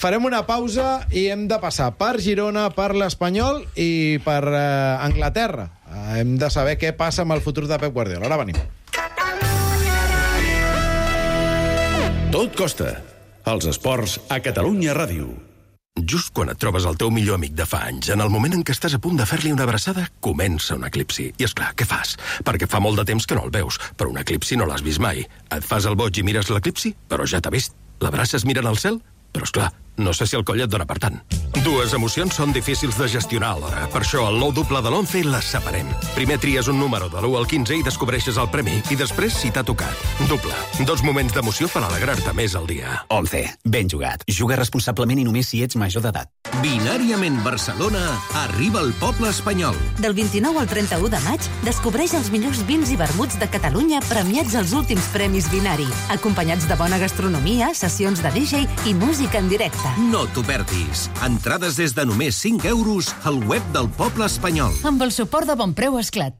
Farem una pausa i hem de passar per Girona, per l'Espanyol i per Anglaterra. Hem de saber què passa amb el futur de Pep Guardiola. Ara venim. Tot costa. Els esports a Catalunya Ràdio. Just quan et trobes el teu millor amic de fa anys, en el moment en què estàs a punt de fer-li una abraçada, comença un eclipsi. I esclar, què fas? Perquè fa molt de temps que no el veus, però un eclipsi no l'has vist mai. Et fas el boig i mires l'eclipsi, però ja t'ha vist. L'abraces mirant al cel? Però esclar, no sé si el coll et dona per tant. Dues emocions són difícils de gestionar alhora. Per això, el nou doble de l'11 les separem. Primer tries un número de l'1 al 15 i descobreixes el premi. I després, si t'ha tocat. Doble. 2 moments d'emoció per alegrar-te més al dia. 11. Ben jugat. Juga responsablement i només si ets major d'edat. Binàriament Barcelona arriba al poble espanyol. Del 29 al 31 de maig, descobreix els millors vins i vermuts de Catalunya premiats als últims premis Binari, acompanyats de bona gastronomia, sessions de DJ i música en directe. No t'ho perdis. Entrades des de només 5 euros al web del poble espanyol. Amb el suport de Bonpreu Esclat.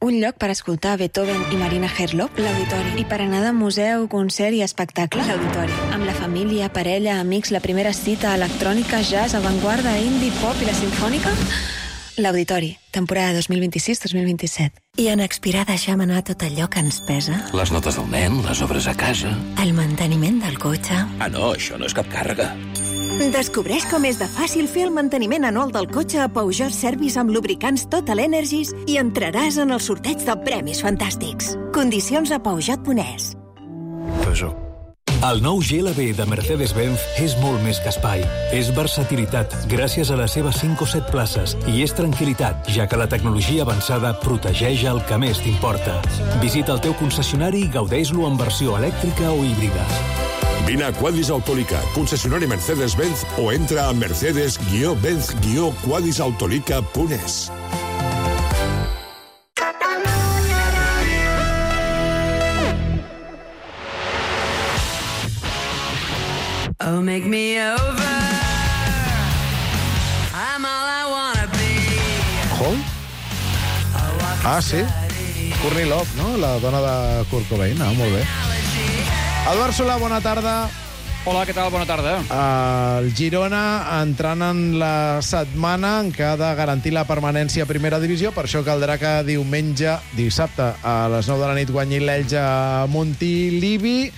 Un lloc per escoltar Beethoven i Marina Herlop, l'Auditori. I per anar de museu, concert i espectacle, l'Auditori. Amb la família, parella, amics, la primera cita, electrònica, jazz, avantguarda, indie, pop i la sinfònica... L'Auditori, temporada 2026-2027. I en Expirar deixem anar tot allò que ens pesa. Les notes del nen, les obres a casa... El manteniment del cotxe... Ah, no, això no és cap càrrega. Descobreix com és de fàcil fer el manteniment anual del cotxe a Peugeot Service amb lubricants Total Energies i entraràs en el sorteig de premis fantàstics. Condicions a Peugeot.es. Peugeot. El nou GLB de Mercedes-Benz és molt més que espai. És versatilitat, gràcies a les seves 5 o 7 places, i és tranquil·litat, ja que la tecnologia avançada protegeix el que més t'importa. Visita el teu concessionari i gaudeix-lo en versió elèctrica o híbrida. Vine a Quadis Autolica, concessionari Mercedes-Benz, o entra a mercedes-benz-quadisautolica.es. Oh, make me over. I'm all I wanna be. Hall? Sí. Courtney Love, no? La dona de Kurt Cobain. Molt bé. Eduard Solà, bona tarda. Hola, què tal? Bona tarda. El Girona entrant en la setmana en què ha de garantir la permanència a primera divisió, per això caldrà que dissabte, a les 9 de la nit guanyi l'Elx a Montilivi.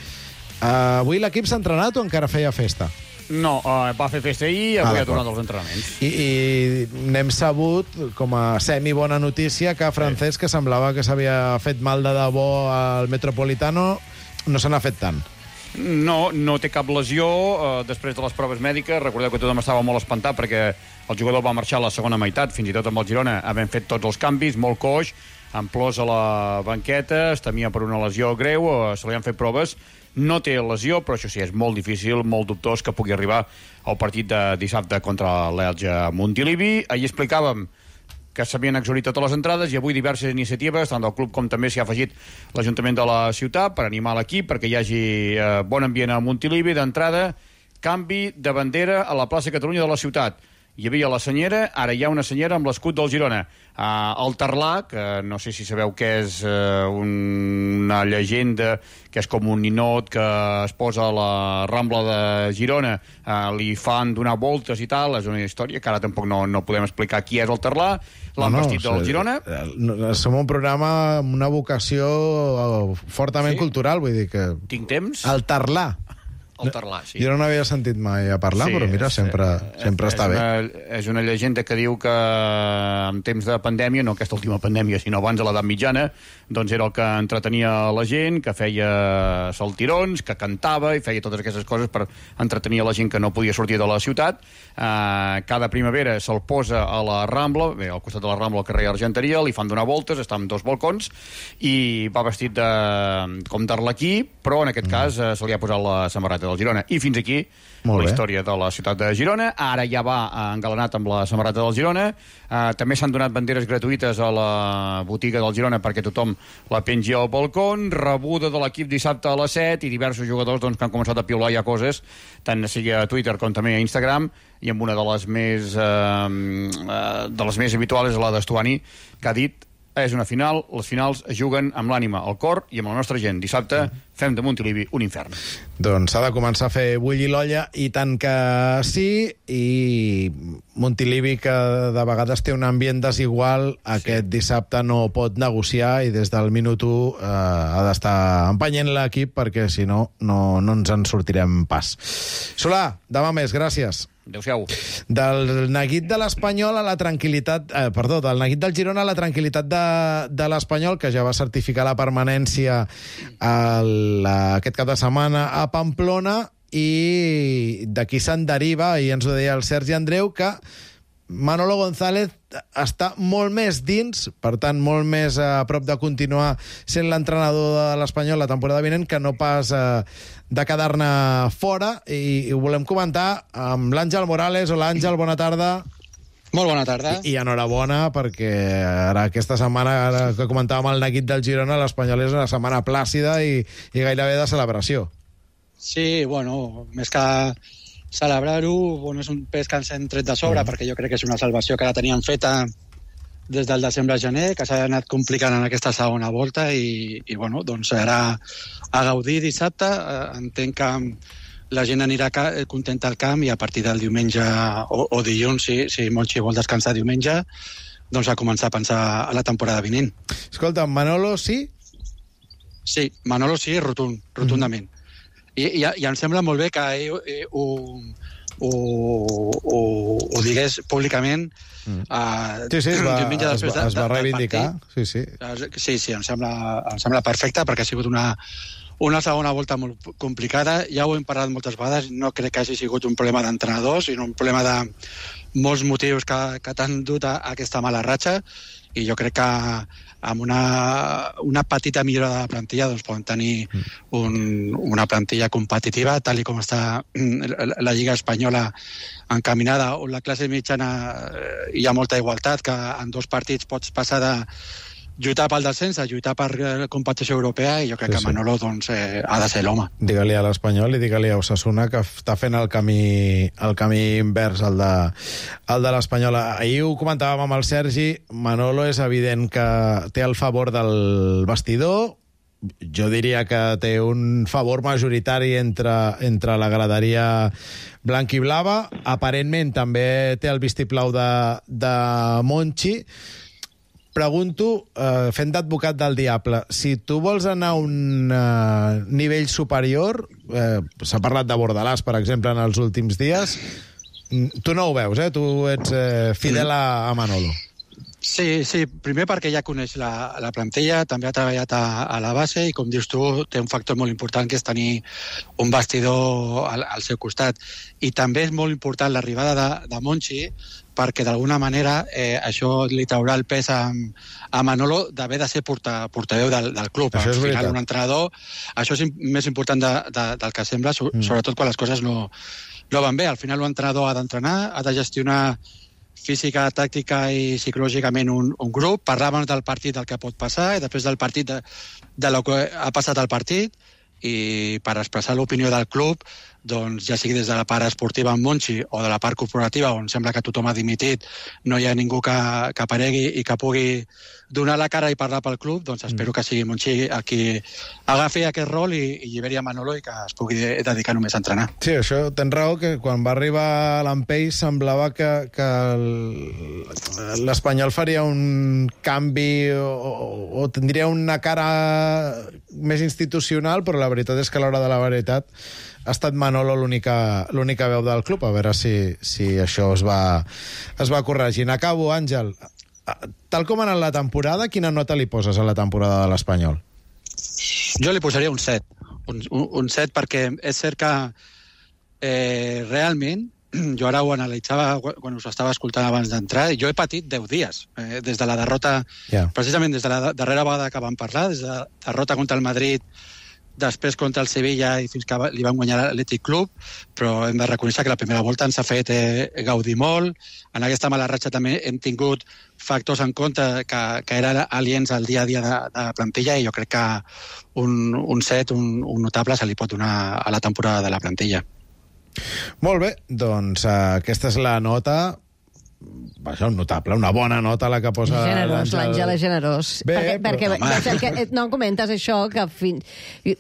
Avui l'equip s'ha entrenat o encara feia festa? No, va fer festa ahir i avui ha tornat als entrenaments. I n'hem sabut, com a semi-bona notícia, que Francesc, que semblava que s'havia fet mal de debò al Metropolitano, no se n'ha fet tant. No té cap lesió després de les proves mèdiques. Recordeu que tothom estava molt espantat perquè el jugador va marxar a la segona meitat, fins i tot amb el Girona, havent fet tots els canvis, molt coix, amb plors a la banqueta, es temia per una lesió greu, se li han fet proves. No té lesió, però això sí, és molt difícil, molt dubtós que pugui arribar al partit de dissabte contra l'Elx a Montilivi. Ahir explicàvem que s'havien exhaurit totes les entrades i avui diverses iniciatives, tant del club com també s'hi ha afegit l'Ajuntament de la ciutat per animar l'equip, perquè hi hagi bon ambient a Montilivi. D'entrada, canvi de bandera a la plaça Catalunya de la ciutat. Hi havia la senyera, ara hi ha una senyera amb l'escut del Girona. El Tarlà, que no sé si sabeu què és, una llegenda, que és com un ninot que es posa a la Rambla de Girona, li fan donar voltes i tal, és una història que ara tampoc no podem explicar qui és el Tarlà, l'han vestit del Girona. Som un programa amb una vocació fortament cultural, vull dir que... Tinc temps? El Tarlà. Tarlà, sí. Jo no n'havia sentit mai a parlar, però mira, sempre està bé. És una llegenda que diu que en temps de pandèmia, no aquesta última pandèmia, sinó abans de l'edat mitjana, doncs era el que entretenia la gent, que feia saltirons, que cantava i feia totes aquestes coses per entretenir la gent que no podia sortir de la ciutat. Cada primavera se'l posa a la Rambla, bé, al costat de la Rambla, al carrer Argenteria, li fan donar voltes, està amb 2 balcons, i va vestit com d'arlequí, però en aquest cas se li ha posat la samarreta del Girona. I fins aquí la història de la ciutat de Girona. Ara ja va engalanat amb la samarreta del Girona. També s'han donat banderes gratuïtes a la botiga del Girona perquè tothom la pengi al balcó. Rebuda de l'equip dissabte a les 7 i diversos jugadors que han començat a piular ja coses, tant sigui a Twitter com també a Instagram, i amb una de les més habituals és la d'Estuani, que ha dit: és una final, les finals es juguen amb l'ànima, el cor i amb la nostra gent. Dissabte fem de Montilivi un infern. Doncs s'ha de començar a fer bullir l'olla, i tant que sí, i Montilivi, que de vegades té un ambient desigual, aquest dissabte no pot negociar i des del minut 1 ha d'estar empenyent l'equip, perquè si no, no ens en sortirem pas. Solà, demà més, gràcies. Adéu-siau. Del neguit de l'Espanyol a la tranquil·litat... del neguit del Girona a la tranquil·litat de l'Espanyol, que ja va certificar la permanència aquest cap de setmana a Pamplona, i d'aquí se'n deriva, i ens ho deia el Sergi Andreu, que Manolo González està molt més dins, per tant, molt més a prop de continuar sent l'entrenador de l'Espanyol la temporada vinent, que no pas de quedar-ne fora, i ho volem comentar amb l'Àngel Morales. Hola, Àngel, bona tarda. Molt bona tarda. I enhorabona, perquè ara aquesta setmana, ara que comentàvem el neguit del Girona, l'Espanyol és una setmana plàcida i gairebé de celebració. Sí, bueno, més que celebrar-ho, bueno, és un pes que ens hem tret de sobre, perquè jo crec que és una salvació que la teníem feta des del desembre-gener, que s'ha anat complicant en aquesta segona volta, i bueno, doncs ara a gaudir dissabte. Entenc que la gent anirà contenta al camp, i a partir del diumenge o dilluns, si Monchi vol descansar diumenge, doncs a començar a pensar a la temporada vinent. Escolta, Manolo sí? Sí, Manolo sí, rotundament. I em sembla molt bé que ell ho digués públicament. Sí, es va reivindicar. Sí, em sembla perfecte, perquè ha sigut una segona volta molt complicada. Ja ho hem parlat moltes vegades, no crec que hagi sigut un problema d'entrenadors, sinó un problema de molts motius que t'han dut a aquesta mala ratxa, i jo crec que amb una petita millora de la plantilla doncs poden tenir una plantilla competitiva, tal com està la Lliga Espanyola encaminada, on la classe mitjana hi ha molta igualtat, que en 2 partits pots passar de lluitar pel descens a lluitar per la competició europea, i jo crec que Manolo doncs, ha de ser l'home. Digue-li a l'Espanyol i digue-li a Osasuna que està fent el camí invers al de l'Espanyol. Ahir ho comentàvem amb el Sergi, Manolo és evident que té el favor del vestidor, jo diria que té un favor majoritari entre la graderia blanc i blava, aparentment també té el vistiplau de Monchi. Pregunto, fent d'advocat del diable, si tu vols anar a un nivell superior, s'ha parlat de Bordalàs, per exemple, en els últims dies, tu no ho veus, tu ets fidel a Manolo. Sí, primer perquè ja coneix la plantilla, també ha treballat a la base, i com dius tu, té un factor molt important, que és tenir un vestidor al seu costat. I també és molt important l'arribada de Monchi, perquè d'alguna manera això li traurà el pes a Manolo d'haver de ser portaveu del club. Al final, un entrenador, això és més important del que sembla, sobretot quan les coses no van bé. Al final, l'entrenador ha d'entrenar, ha de gestionar física, tàctica i psicològicament un grup. Parlàvem del partit, del que pot passar, i després del partit del que ha passat al partit, i per expressar l'opinió del club, doncs ja sigui des de la part esportiva amb Monchi o de la part corporativa, on sembla que tothom ha dimitit, no hi ha ningú que aparegui i que pugui donar la cara i parlar pel club, doncs espero que sigui Monchi el qui agafi aquest rol i lliberi a Manolo, i que es pugui dedicar només a entrenar. Sí, això tens raó, que quan va arribar l'Ampey semblava que l'Espanyol faria un canvi o tindria una cara més institucional, però la veritat és que a l'hora de la veritat ha estat Manolo l'única veu del club. A veure si això es va corregint. Acabo, Àngel. Tal com ha anat la temporada, quina nota li poses a la temporada de l'Espanyol? Jo li posaria un 7. Un 7 perquè és cert que realment, jo ara ho analitzava quan us estava escoltant abans d'entrar, jo he patit 10 dies, des de la derrota, precisament des de la darrera vegada que vam parlar, des de la derrota contra el Madrid, després contra el Sevilla i fins que li van guanyar l'Atlètic Club, però hem de reconèixer que la primera volta ens ha fet gaudir molt. En aquesta mala ratxa també hem tingut factors en compte que eren aliens al dia a dia de la plantilla, i jo crec que un 7, un notable, se li pot donar a la temporada de la plantilla. Molt bé, doncs aquesta és la nota. Això, notable, una bona nota la que posa generós, l'Àngel és generós. Perquè no comentes això, que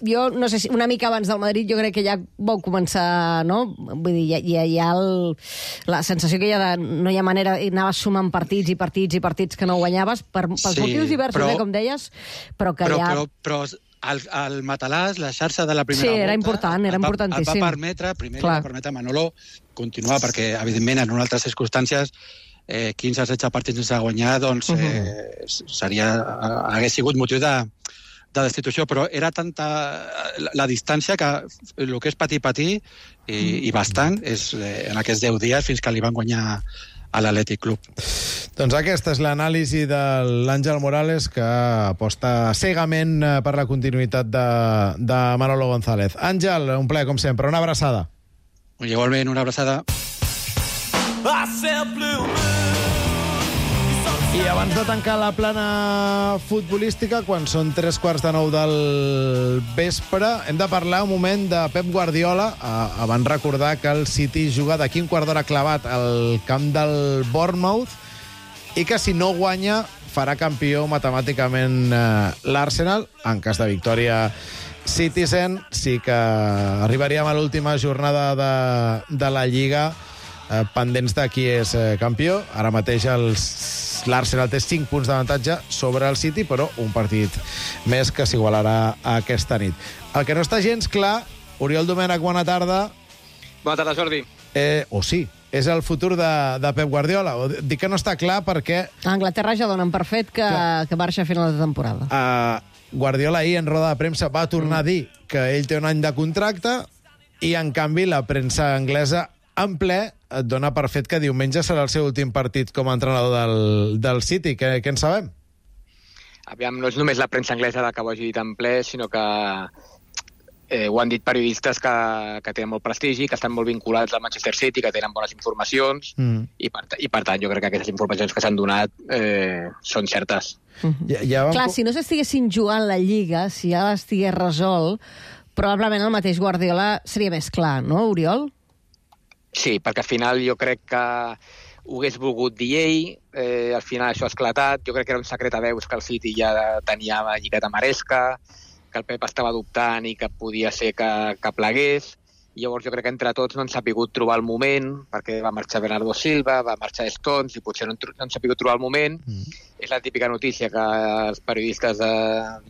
jo no sé si una mica abans del Madrid jo crec que ja vau començar, no? Vull dir, hi ha la sensació que no hi ha manera, anaves sumant partits que no guanyaves pels motius diversos, com deies, però que Però el matalàs, la xarxa de la primera volta... Sí, era important, era importantíssim. Et va permetre, primer li va permetre a Manolo continuar, perquè, evidentment, en altres circumstàncies, 15 o 16 partits sense guanyar, doncs hagués sigut motiu de destitució, però era tanta la distància que el que és patir, i bastant, és en aquests 10 dies fins que li van guanyar a l'Atlètic Club. Doncs aquesta és l'anàlisi de l'Àngel Morales, que aposta cegament per la continuïtat de Manolo González. Àngel, un plaer com sempre, una abraçada. Igualment, una abraçada. I abans de tancar la plana futbolística, quan són 3:45 del vespre, hem de parlar un moment de Pep Guardiola. Abans recordar que el City juga d'aquí un quart d'hora clavat al camp del Bournemouth, i que si no guanya farà campió matemàticament l'Arsenal. En cas de victòria Citizen, sí que arribaríem a l'última jornada de la Lliga pendents de qui és campió. Ara mateix l'Arsenal té 5 punts d'avantatge sobre el City, però un partit més que s'igualarà aquesta nit. El que no està gens clar, Oriol Domènech, bona tarda. Bona tarda, Jordi. Sí, és el futur de Pep Guardiola. Dic que no està clar perquè... A Anglaterra ja donen per fet que marxa a final de temporada. Guardiola ahir en roda de premsa va tornar a dir que ell té un any de contracte, i en canvi la premsa anglesa en ple et dona per fet que diumenge serà el seu últim partit com a entrenador del City. Què en sabem? Aviam, no és només la premsa anglesa la que ho hagi dit en ple, sinó que ho han dit periodistes que tenen molt prestigi, que estan molt vinculats al Manchester City, que tenen bones informacions, i per tant jo crec que aquestes informacions que s'han donat són certes. Clar, si no s'estiguessin jugant la Lliga, si ja estigués resolt, probablement el mateix Guardiola seria més clar, no, Oriol? Sí, perquè al final jo crec que ho hagués volgut dir ell, al final això ha esclatat, jo crec que era un secret a veus que el City ja tenia la lligueta Maresca, que el Pep estava dubtant i que podia ser que plegués. Llavors jo crec que entre tots no han sapigut trobar el moment, perquè va marxar Bernardo Silva, va marxar Stones, i potser no han sapigut trobar el moment. És la típica notícia que els periodistes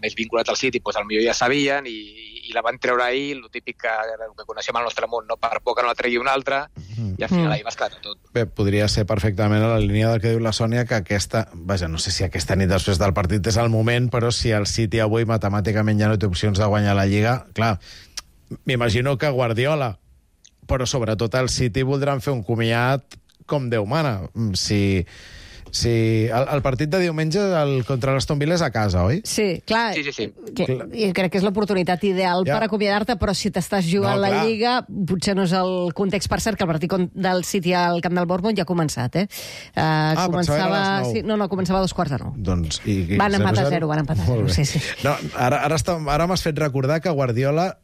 més vinculats al City potser ja sabien, i la van treure ahir, el típic que coneixem al nostre món, no? Per por que no la tregui un altre, i al final ahir va esclatar tot. Bé, podria ser perfectament a la línia del que diu la Sònia, que aquesta... Vaja, no sé si aquesta nit després del partit és el moment, però si el City avui matemàticament ja no té opcions de guanyar la Lliga, clar, m'imagino que Guardiola, però sobretot el City, voldran fer un comiat com Déu mana. El partit de diumenge contra l'Aston Villa és a casa, oi? Sí, clar. Sí. I crec que és l'oportunitat ideal per acomiadar-te, però si t'estàs jugant la Lliga, potser no és el context. Per cert, que el partit del City al camp del Bournemouth ja ha començat, començava a les 9. No, començava a 8:45. Doncs, van empatar 0, van empatar 0. Sí. No, ara m'has fet recordar que Guardiola,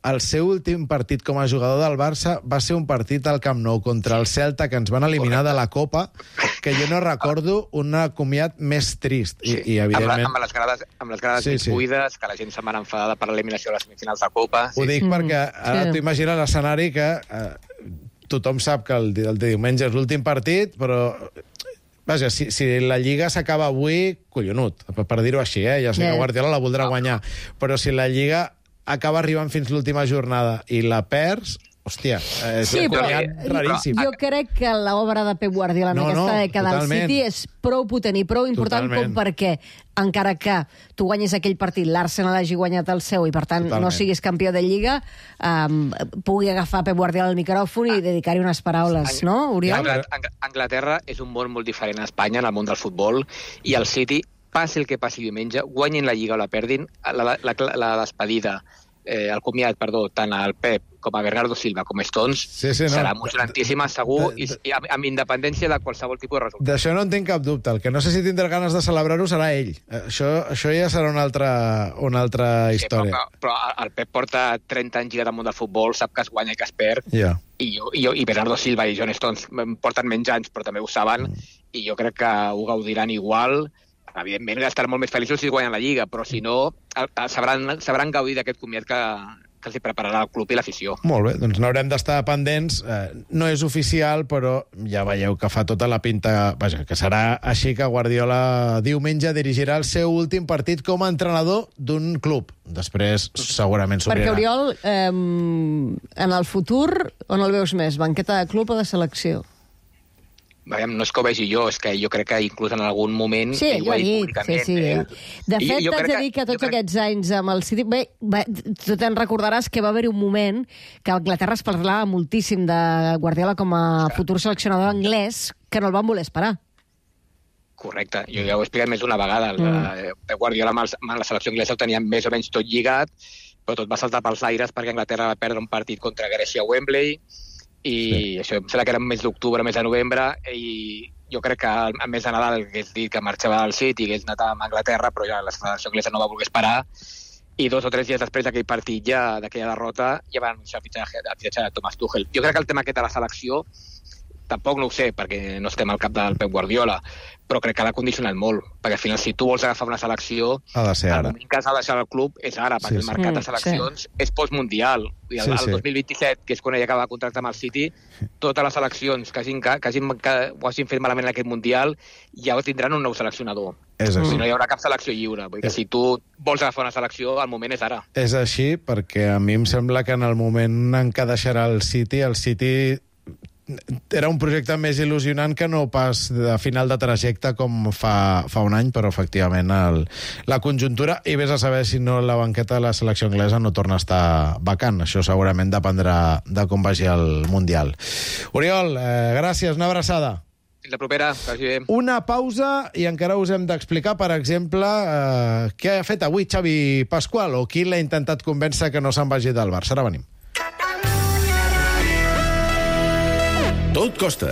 el seu últim partit com a jugador del Barça va ser un partit al Camp Nou contra el Celta, que ens van eliminar de la Copa, que jo no recordo un comiat més trist. I evidentment... Amb les grades buides, que la gent se'n va enfadada per l'eliminació de les semifinals de Copa. Ho dic perquè ara t'ho imagines l'escenari que tothom sap que el diumenge és l'últim partit, però... Vaja, si la Lliga s'acaba avui, collonut, per dir-ho així, ja sé que Guardiola la voldrà guanyar, però si la Lliga acaba arribant fins l'última jornada i la perds, hòstia, és raríssim. Jo crec que l'obra de Pep Guardiola en aquesta dècada del City és prou potent i prou important com perquè, encara que tu guanyis aquell partit, l'Arsenal hagi guanyat el seu i, per tant, no siguis campió de Lliga, pugui agafar Pep Guardiola el micròfon i dedicar-hi unes paraules, no, Oriol? Anglaterra és un món molt diferent a Espanya, en el món del futbol, i el City, passi el que passi diumenge, guanyin la Lliga o la perdin, la despedida, el comiat, tant al Pep com a Bernardo Silva, com a Stones, serà emocionantíssima, segur, i amb independència de qualsevol tipus de resultat. D'això no en tinc cap dubte. El que no sé si tindrà ganes de celebrar-ho serà ell. Això ja serà una altra història. Però el Pep porta 30 anys lligat al món del futbol, sap que es guanya i que es perd, i Bernardo Silva i John Stones porten menys anys, però també ho saben, i jo crec que ho gaudiran igual. Evidentment, estaran molt més feliços si guanyen la Lliga, però si no, sabran gaudir d'aquest comiat que els hi prepararà el club i l'afició. Molt bé, doncs n'haurem d'estar pendents. No és oficial, però ja veieu que fa tota la pinta... Vaja, que serà així que Guardiola diumenge dirigirà el seu últim partit com a entrenador d'un club. Després, segurament s'obrirà. Perquè, Oriol, en el futur, on el veus més? Banqueta de club o de selecció? No és que ho vegi jo, és que jo crec que inclús en algun moment... Sí, jo he dit, sí. De fet, t'haig de dir que tots aquests anys amb el City... Bé, tu te'n recordaràs que va haver-hi un moment que a Anglaterra es parlava moltíssim de Guardiola com a futur seleccionador anglès, que no el van voler esperar. Correcte, jo ja ho he explicat més d'una vegada. Guardiola amb la selecció anglesa ho tenia més o menys tot lligat, però tot va saltar pels aires perquè Anglaterra va perdre un partit contra Grècia a Wembley, i això em sembla que era mes d'octubre, mes de novembre, i jo crec que a mes de Nadal hagués dit que marxava del City i hagués anat a Anglaterra, però ja la selecció anglesa no va voler esperar, i 2 o 3 dies després d'aquell partit, d'aquella derrota, ja van anunciar el fitxatge de Thomas Tuchel. Jo crec que el tema aquest de la selecció tampoc no ho sé, perquè no estem al cap del Pep Guardiola, però crec que l'ha condicionat molt, perquè al final si tu vols agafar una selecció, el moment que has de deixar el club és ara, perquè el mercat de seleccions és postmundial. El 2027, que és quan ell acaba de contractar amb el City, totes les seleccions que ho hagin fet malament en aquest Mundial ja tindran un nou seleccionador. Si no hi haurà cap selecció lliure. Vull dir que si tu vols agafar una selecció, el moment és ara. És així, perquè a mi em sembla que en el moment en què deixarà el City era un projecte més il·lusionant que no pas de final de trajecte com fa un any, però efectivament la conjuntura, i vés a saber si no la banqueta de la selecció anglesa no torna a estar vacant. Això segurament dependrà de com vagi el Mundial. Oriol, gràcies, una abraçada. Fins la propera, que vagi bé. Una pausa i encara us hem d'explicar, per exemple, què ha fet avui Xavi Pasqual o qui l'ha intentat convèncer que no se'n vagi del Barça. Ara venim. Tot costa.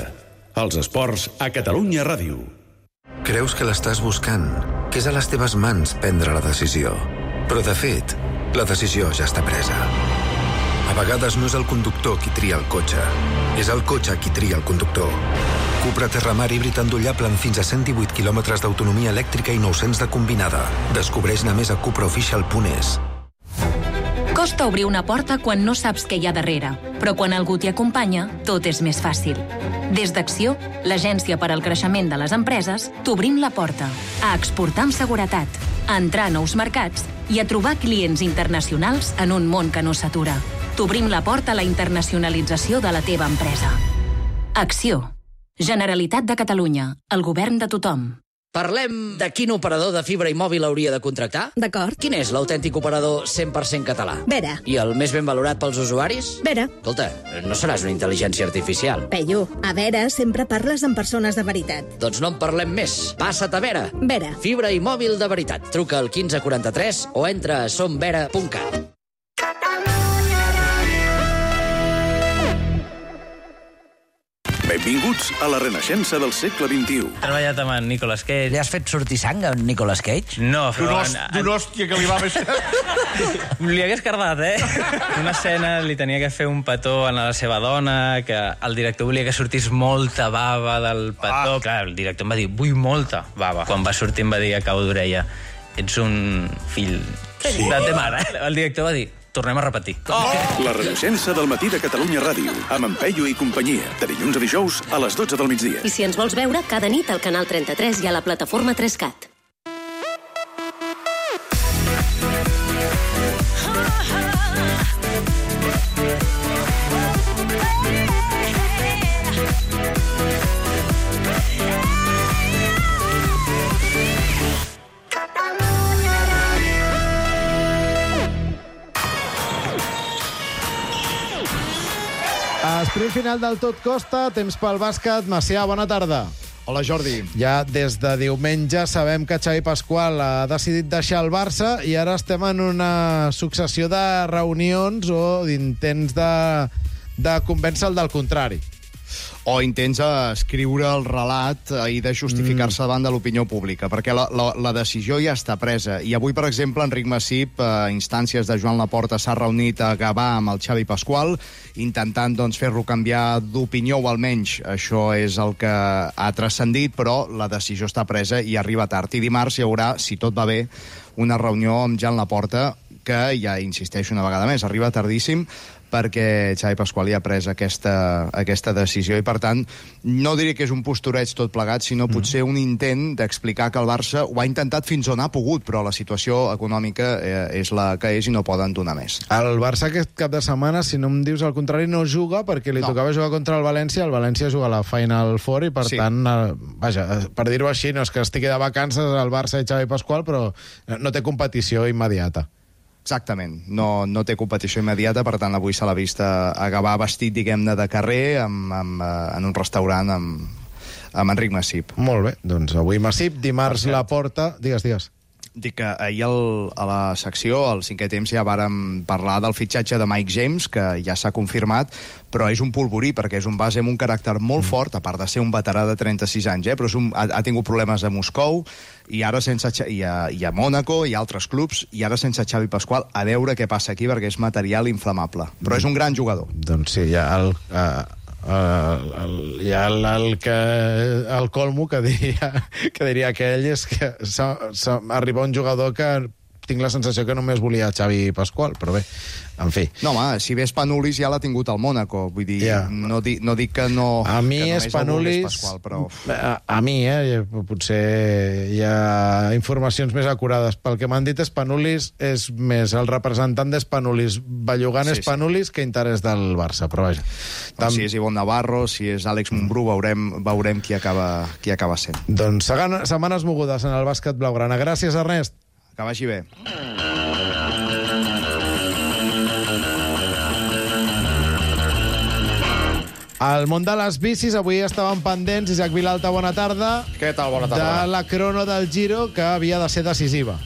Els esports a Catalunya Ràdio. Creus que l'estàs buscant, que és a les teves mans prendre la decisió. Però, de fet, la decisió ja està presa. A vegades no és el conductor qui tria el cotxe, és el cotxe qui tria el conductor. Cupra Terramar híbrid endollable amb fins a 118 km d'autonomia elèctrica i 900 de combinada. Descobreix-ne més a cupraofficial.es. Costa obrir una porta quan no saps què hi ha darrere, però quan algú t'hi acompanya, tot és més fàcil. Des d'Acció, l'agència per al creixement de les empreses, t'obrim la porta a exportar amb seguretat, a entrar a nous mercats i a trobar clients internacionals en un món que no s'atura. T'obrim la porta a la internacionalització de la teva empresa. Acció. Generalitat de Catalunya. El govern de tothom. Parlem de quin operador de fibra i mòbil hauria de contractar? D'acord. Quin és l'autèntic operador 100% català? Vera. I el més ben valorat pels usuaris? Vera. Escolta, no seràs una intel·ligència artificial. Peyu, a Vera sempre parles amb persones de veritat. Doncs no en parlem més. Passa't a Vera. Vera. Fibra i mòbil de veritat. Truca al 1543 o entra a somvera.cat. Benvinguts a la renaixença del segle XXI. He treballat amb en Nicolas Cage. Li has fet sortir sang a en Nicolas Cage? No, però... D'un hòstia que li va més... Li hagués cardat, Una escena li tenia que fer un petó a la seva dona, que el director volia que sortís molta bava del petó. Clar, el director em va dir, vull molta bava. Quan va sortir em va dir a cau d'orella, ets un fill de ta mare. El director va dir, tornem a repetir. La renaixença del matí de Catalunya Ràdio, amb en Peyu i companyia, de dilluns a dijous a les 12 del migdia. I si ens vols veure, cada nit al canal 33 i a la plataforma 3CAT. Sprint final del Tot Costa, temps pel bàsquet. Macià, bona tarda. Hola, Jordi. Ja des de diumenge sabem que Xavi Pasqual ha decidit deixar el Barça i ara estem en una successió de reunions o d'intents de convèncer-lo del contrari. O intents escriure el relat i de justificar-se davant de l'opinió pública, perquè la decisió ja està presa. I avui, per exemple, Enric Massip, a instàncies de Joan Laporta, s'ha reunit a Gavà amb el Xavi Pasqual, intentant fer-lo canviar d'opinió, o almenys això és el que ha transcendit, però la decisió està presa i arriba tard. I dimarts hi haurà, si tot va bé, una reunió amb Joan Laporta, que ja insisteixo una vegada més, arriba tardíssim, perquè Xavi Pasqual ja ha pres aquesta decisió i, per tant, no diré que és un postureig tot plegat, sinó potser un intent d'explicar que el Barça ho ha intentat fins on ha pogut, però la situació econòmica és la que és i no poden donar més. El Barça aquest cap de setmana, si no em dius el contrari, no juga perquè li tocava jugar contra el València juga a la Final Four i, per tant, vaja, per dir-ho així, no és que estigui de vacances el Barça i Xavi Pasqual, però no té competició immediata. Exactament, no té competició immediata, per tant avui se l'ha vist a Gavà vestit, diguem-ne, de carrer en un restaurant amb Enric Massip. Molt bé, doncs avui Massip, dimarts Laporta... Digues. Dic que ahir a la secció, al cinquè temps, ja vàrem parlar del fitxatge de Mike James, que ja s'ha confirmat, però és un polvorí, perquè és un base amb un caràcter molt fort, a part de ser un veterà de 36 anys, però ha tingut problemes a Moscou, i ara i a Mònaco i a altres clubs, i ara sense Xavi Pasqual, a veure què passa aquí, perquè és material inflamable. Però és un gran jugador. Doncs sí, ja el colmo que diria aquell és que arriba un jugador que tinc la sensació que només volia Xavi Pasqual, però bé, en fi. No, home, si ves Spanulis ja l'ha tingut al Mònaco, vull dir, no dic que no... A mi Spanulis... Pasqual, però... A mi, potser hi ha informacions més acurades. Pel que m'han dit, Spanulis és més el representant d'Spanulis, bellugant Spanulis, que interès del Barça, però vaja. Si és Ivonne Navarro, si és Àlex Mumbrú, veurem qui acaba sent. Doncs setmanes mogudes en el bàsquet blaugrana. Gràcies, Ernest. Que vagi bé. Al món de les bicis, avui estaven pendents, Isaac Vilalta, bona tarda. Què tal, bona tarda? De la crono del Giro, que havia de ser decisiva.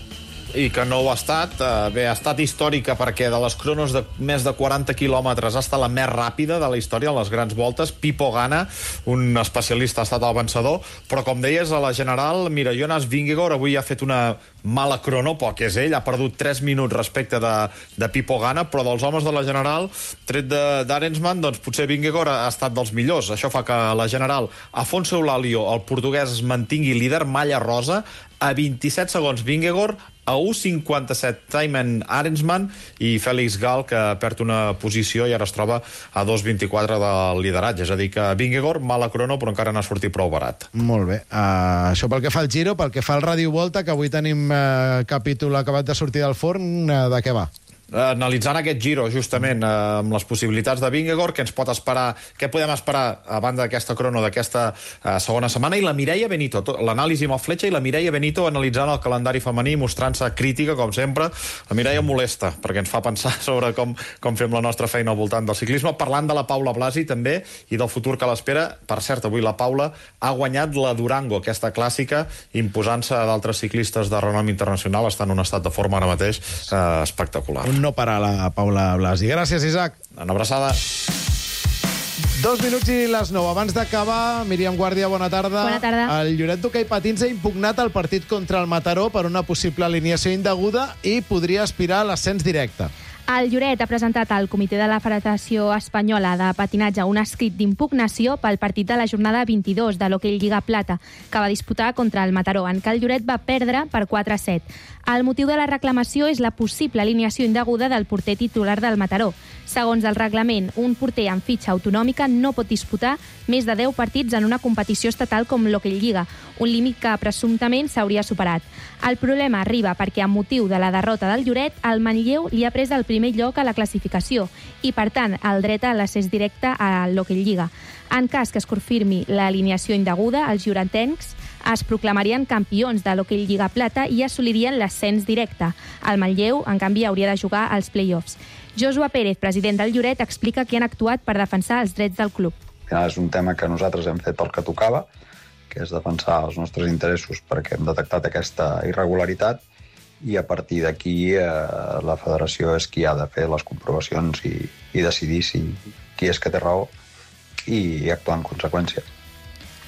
I que no ho ha estat. Bé, ha estat històrica perquè de les cronos de més de 40 quilòmetres ha estat la més ràpida de la història, les grans voltes. Pipo Gana, un especialista, ha estat el vencedor, però com deies, a la general, mira, Jonas Vingegaard avui ha fet una mala crono, poc és ell, ha perdut 3 minuts respecte de Pipo Gana, però dels homes de la general, tret d'Arensman, doncs potser Vingegaard ha estat dels millors. Això fa que la general, Afonso Eulalio, el portuguès, es mantingui líder, malla rosa, a 27 segons Vingegaard, a 1.57 Thymen Arensman i Félix Gal, que perd una posició i ara es troba a 2.24 del lideratge. És a dir, que Vingegaard, mala crono, però encara n'ha sortit prou barat. Molt bé. Això pel que fa al Giro, pel que fa al Ràdio Volta, que avui tenim capítol acabat de sortir del forn, de què va? Analitzant aquest Giro, justament, amb les possibilitats de Vingegaard, què podem esperar a banda d'aquesta crono d'aquesta segona setmana, i la Mireia Benito, l'anàlisi amb el Fletxa, i la Mireia Benito analitzant el calendari femení, mostrant-se crítica, com sempre. La Mireia molesta, perquè ens fa pensar sobre com fem la nostra feina al voltant del ciclisme, parlant de la Paula Blasi, també, i del futur que l'espera. Per cert, avui la Paula ha guanyat la Durango, aquesta clàssica, imposant-se a d'altres ciclistes de renom internacional. Està en un estat de forma ara mateix espectacular. No parar la Paula Blasi. Gràcies, Isaac. Una abraçada. 2 minuts i les 9. Abans d'acabar, Míriam Guàrdia, bona tarda. Bona tarda. El Lloret d'Hoquei Patins ha impugnat el partit contra el Mataró per una possible alineació indeguda i podria aspirar a l'ascens directe. El Lloret ha presentat al Comitè de la Federació Espanyola de Patinatge un escrit d'impugnació pel partit de la jornada 22 de l'Hoquei Lliga Plata, que va disputar contra el Mataró, en què el Lloret va perdre per 4-7. El motiu de la reclamació és la possible alineació indeguda del porter titular del Mataró. Segons el reglament, un porter amb fitxa autonòmica no pot disputar més de 10 partits en una competició estatal com l'Hoquei Lliga, un límit que presumptament s'hauria superat. El problema arriba perquè, amb motiu de la derrota del Lloret, el Manlleu li ha pres el primer lloc a la classificació i, per tant, el dret a l'accés directe a l'Hoquei Lliga. En cas que es confirmi l'alineació indeguda, els lloretencs es proclamarien campions de l'Hockey Lliga Plata i assolirien l'ascens directe. El Manlleu, en canvi, hauria de jugar als play-offs. Joshua Pérez, president del Lloret, explica que han actuat per defensar els drets del club. Al final és un tema que nosaltres hem fet el que tocava, que és defensar els nostres interessos perquè hem detectat aquesta irregularitat, i a partir d'aquí la federació és qui ha de fer les comprovacions i decidir qui és que té raó i actuar en conseqüència.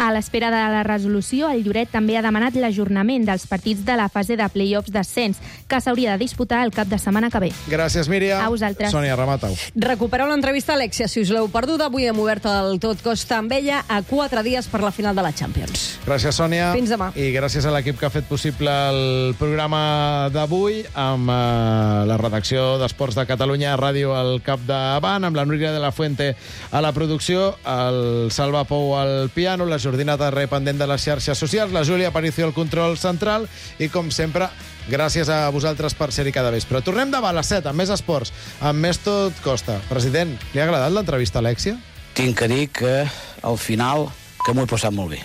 A l'espera de la resolució, el Lloret també ha demanat l'ajornament dels partits de la fase de play-offs d'ascens, que s'hauria de disputar el cap de setmana que ve. Gràcies, Míriam. A vosaltres. Sònia, remata-ho. Recupereu l'entrevista a Alexia, si us l'heu perduda. Avui hem obert el Tot Costa amb ella a 4 dies per la final de la Champions. Gràcies, Sònia. Fins demà. I gràcies a l'equip que ha fet possible el programa d'avui, amb la redacció d'Esports de Catalunya Ràdio al capdavant, amb la Núria de la Fuente a la producció, el Salva Pou al piano, la Jordina Tarré pendent de les xarxes socials, la Júlia Aparicio al control central i, com sempre, gràcies a vosaltres per ser-hi cada vespre. Tornem demà a les 7 amb més esports, amb més Tot Costa. President, li ha agradat l'entrevista a Alexia? Tinc que dir que al final que m'ho he passat molt bé.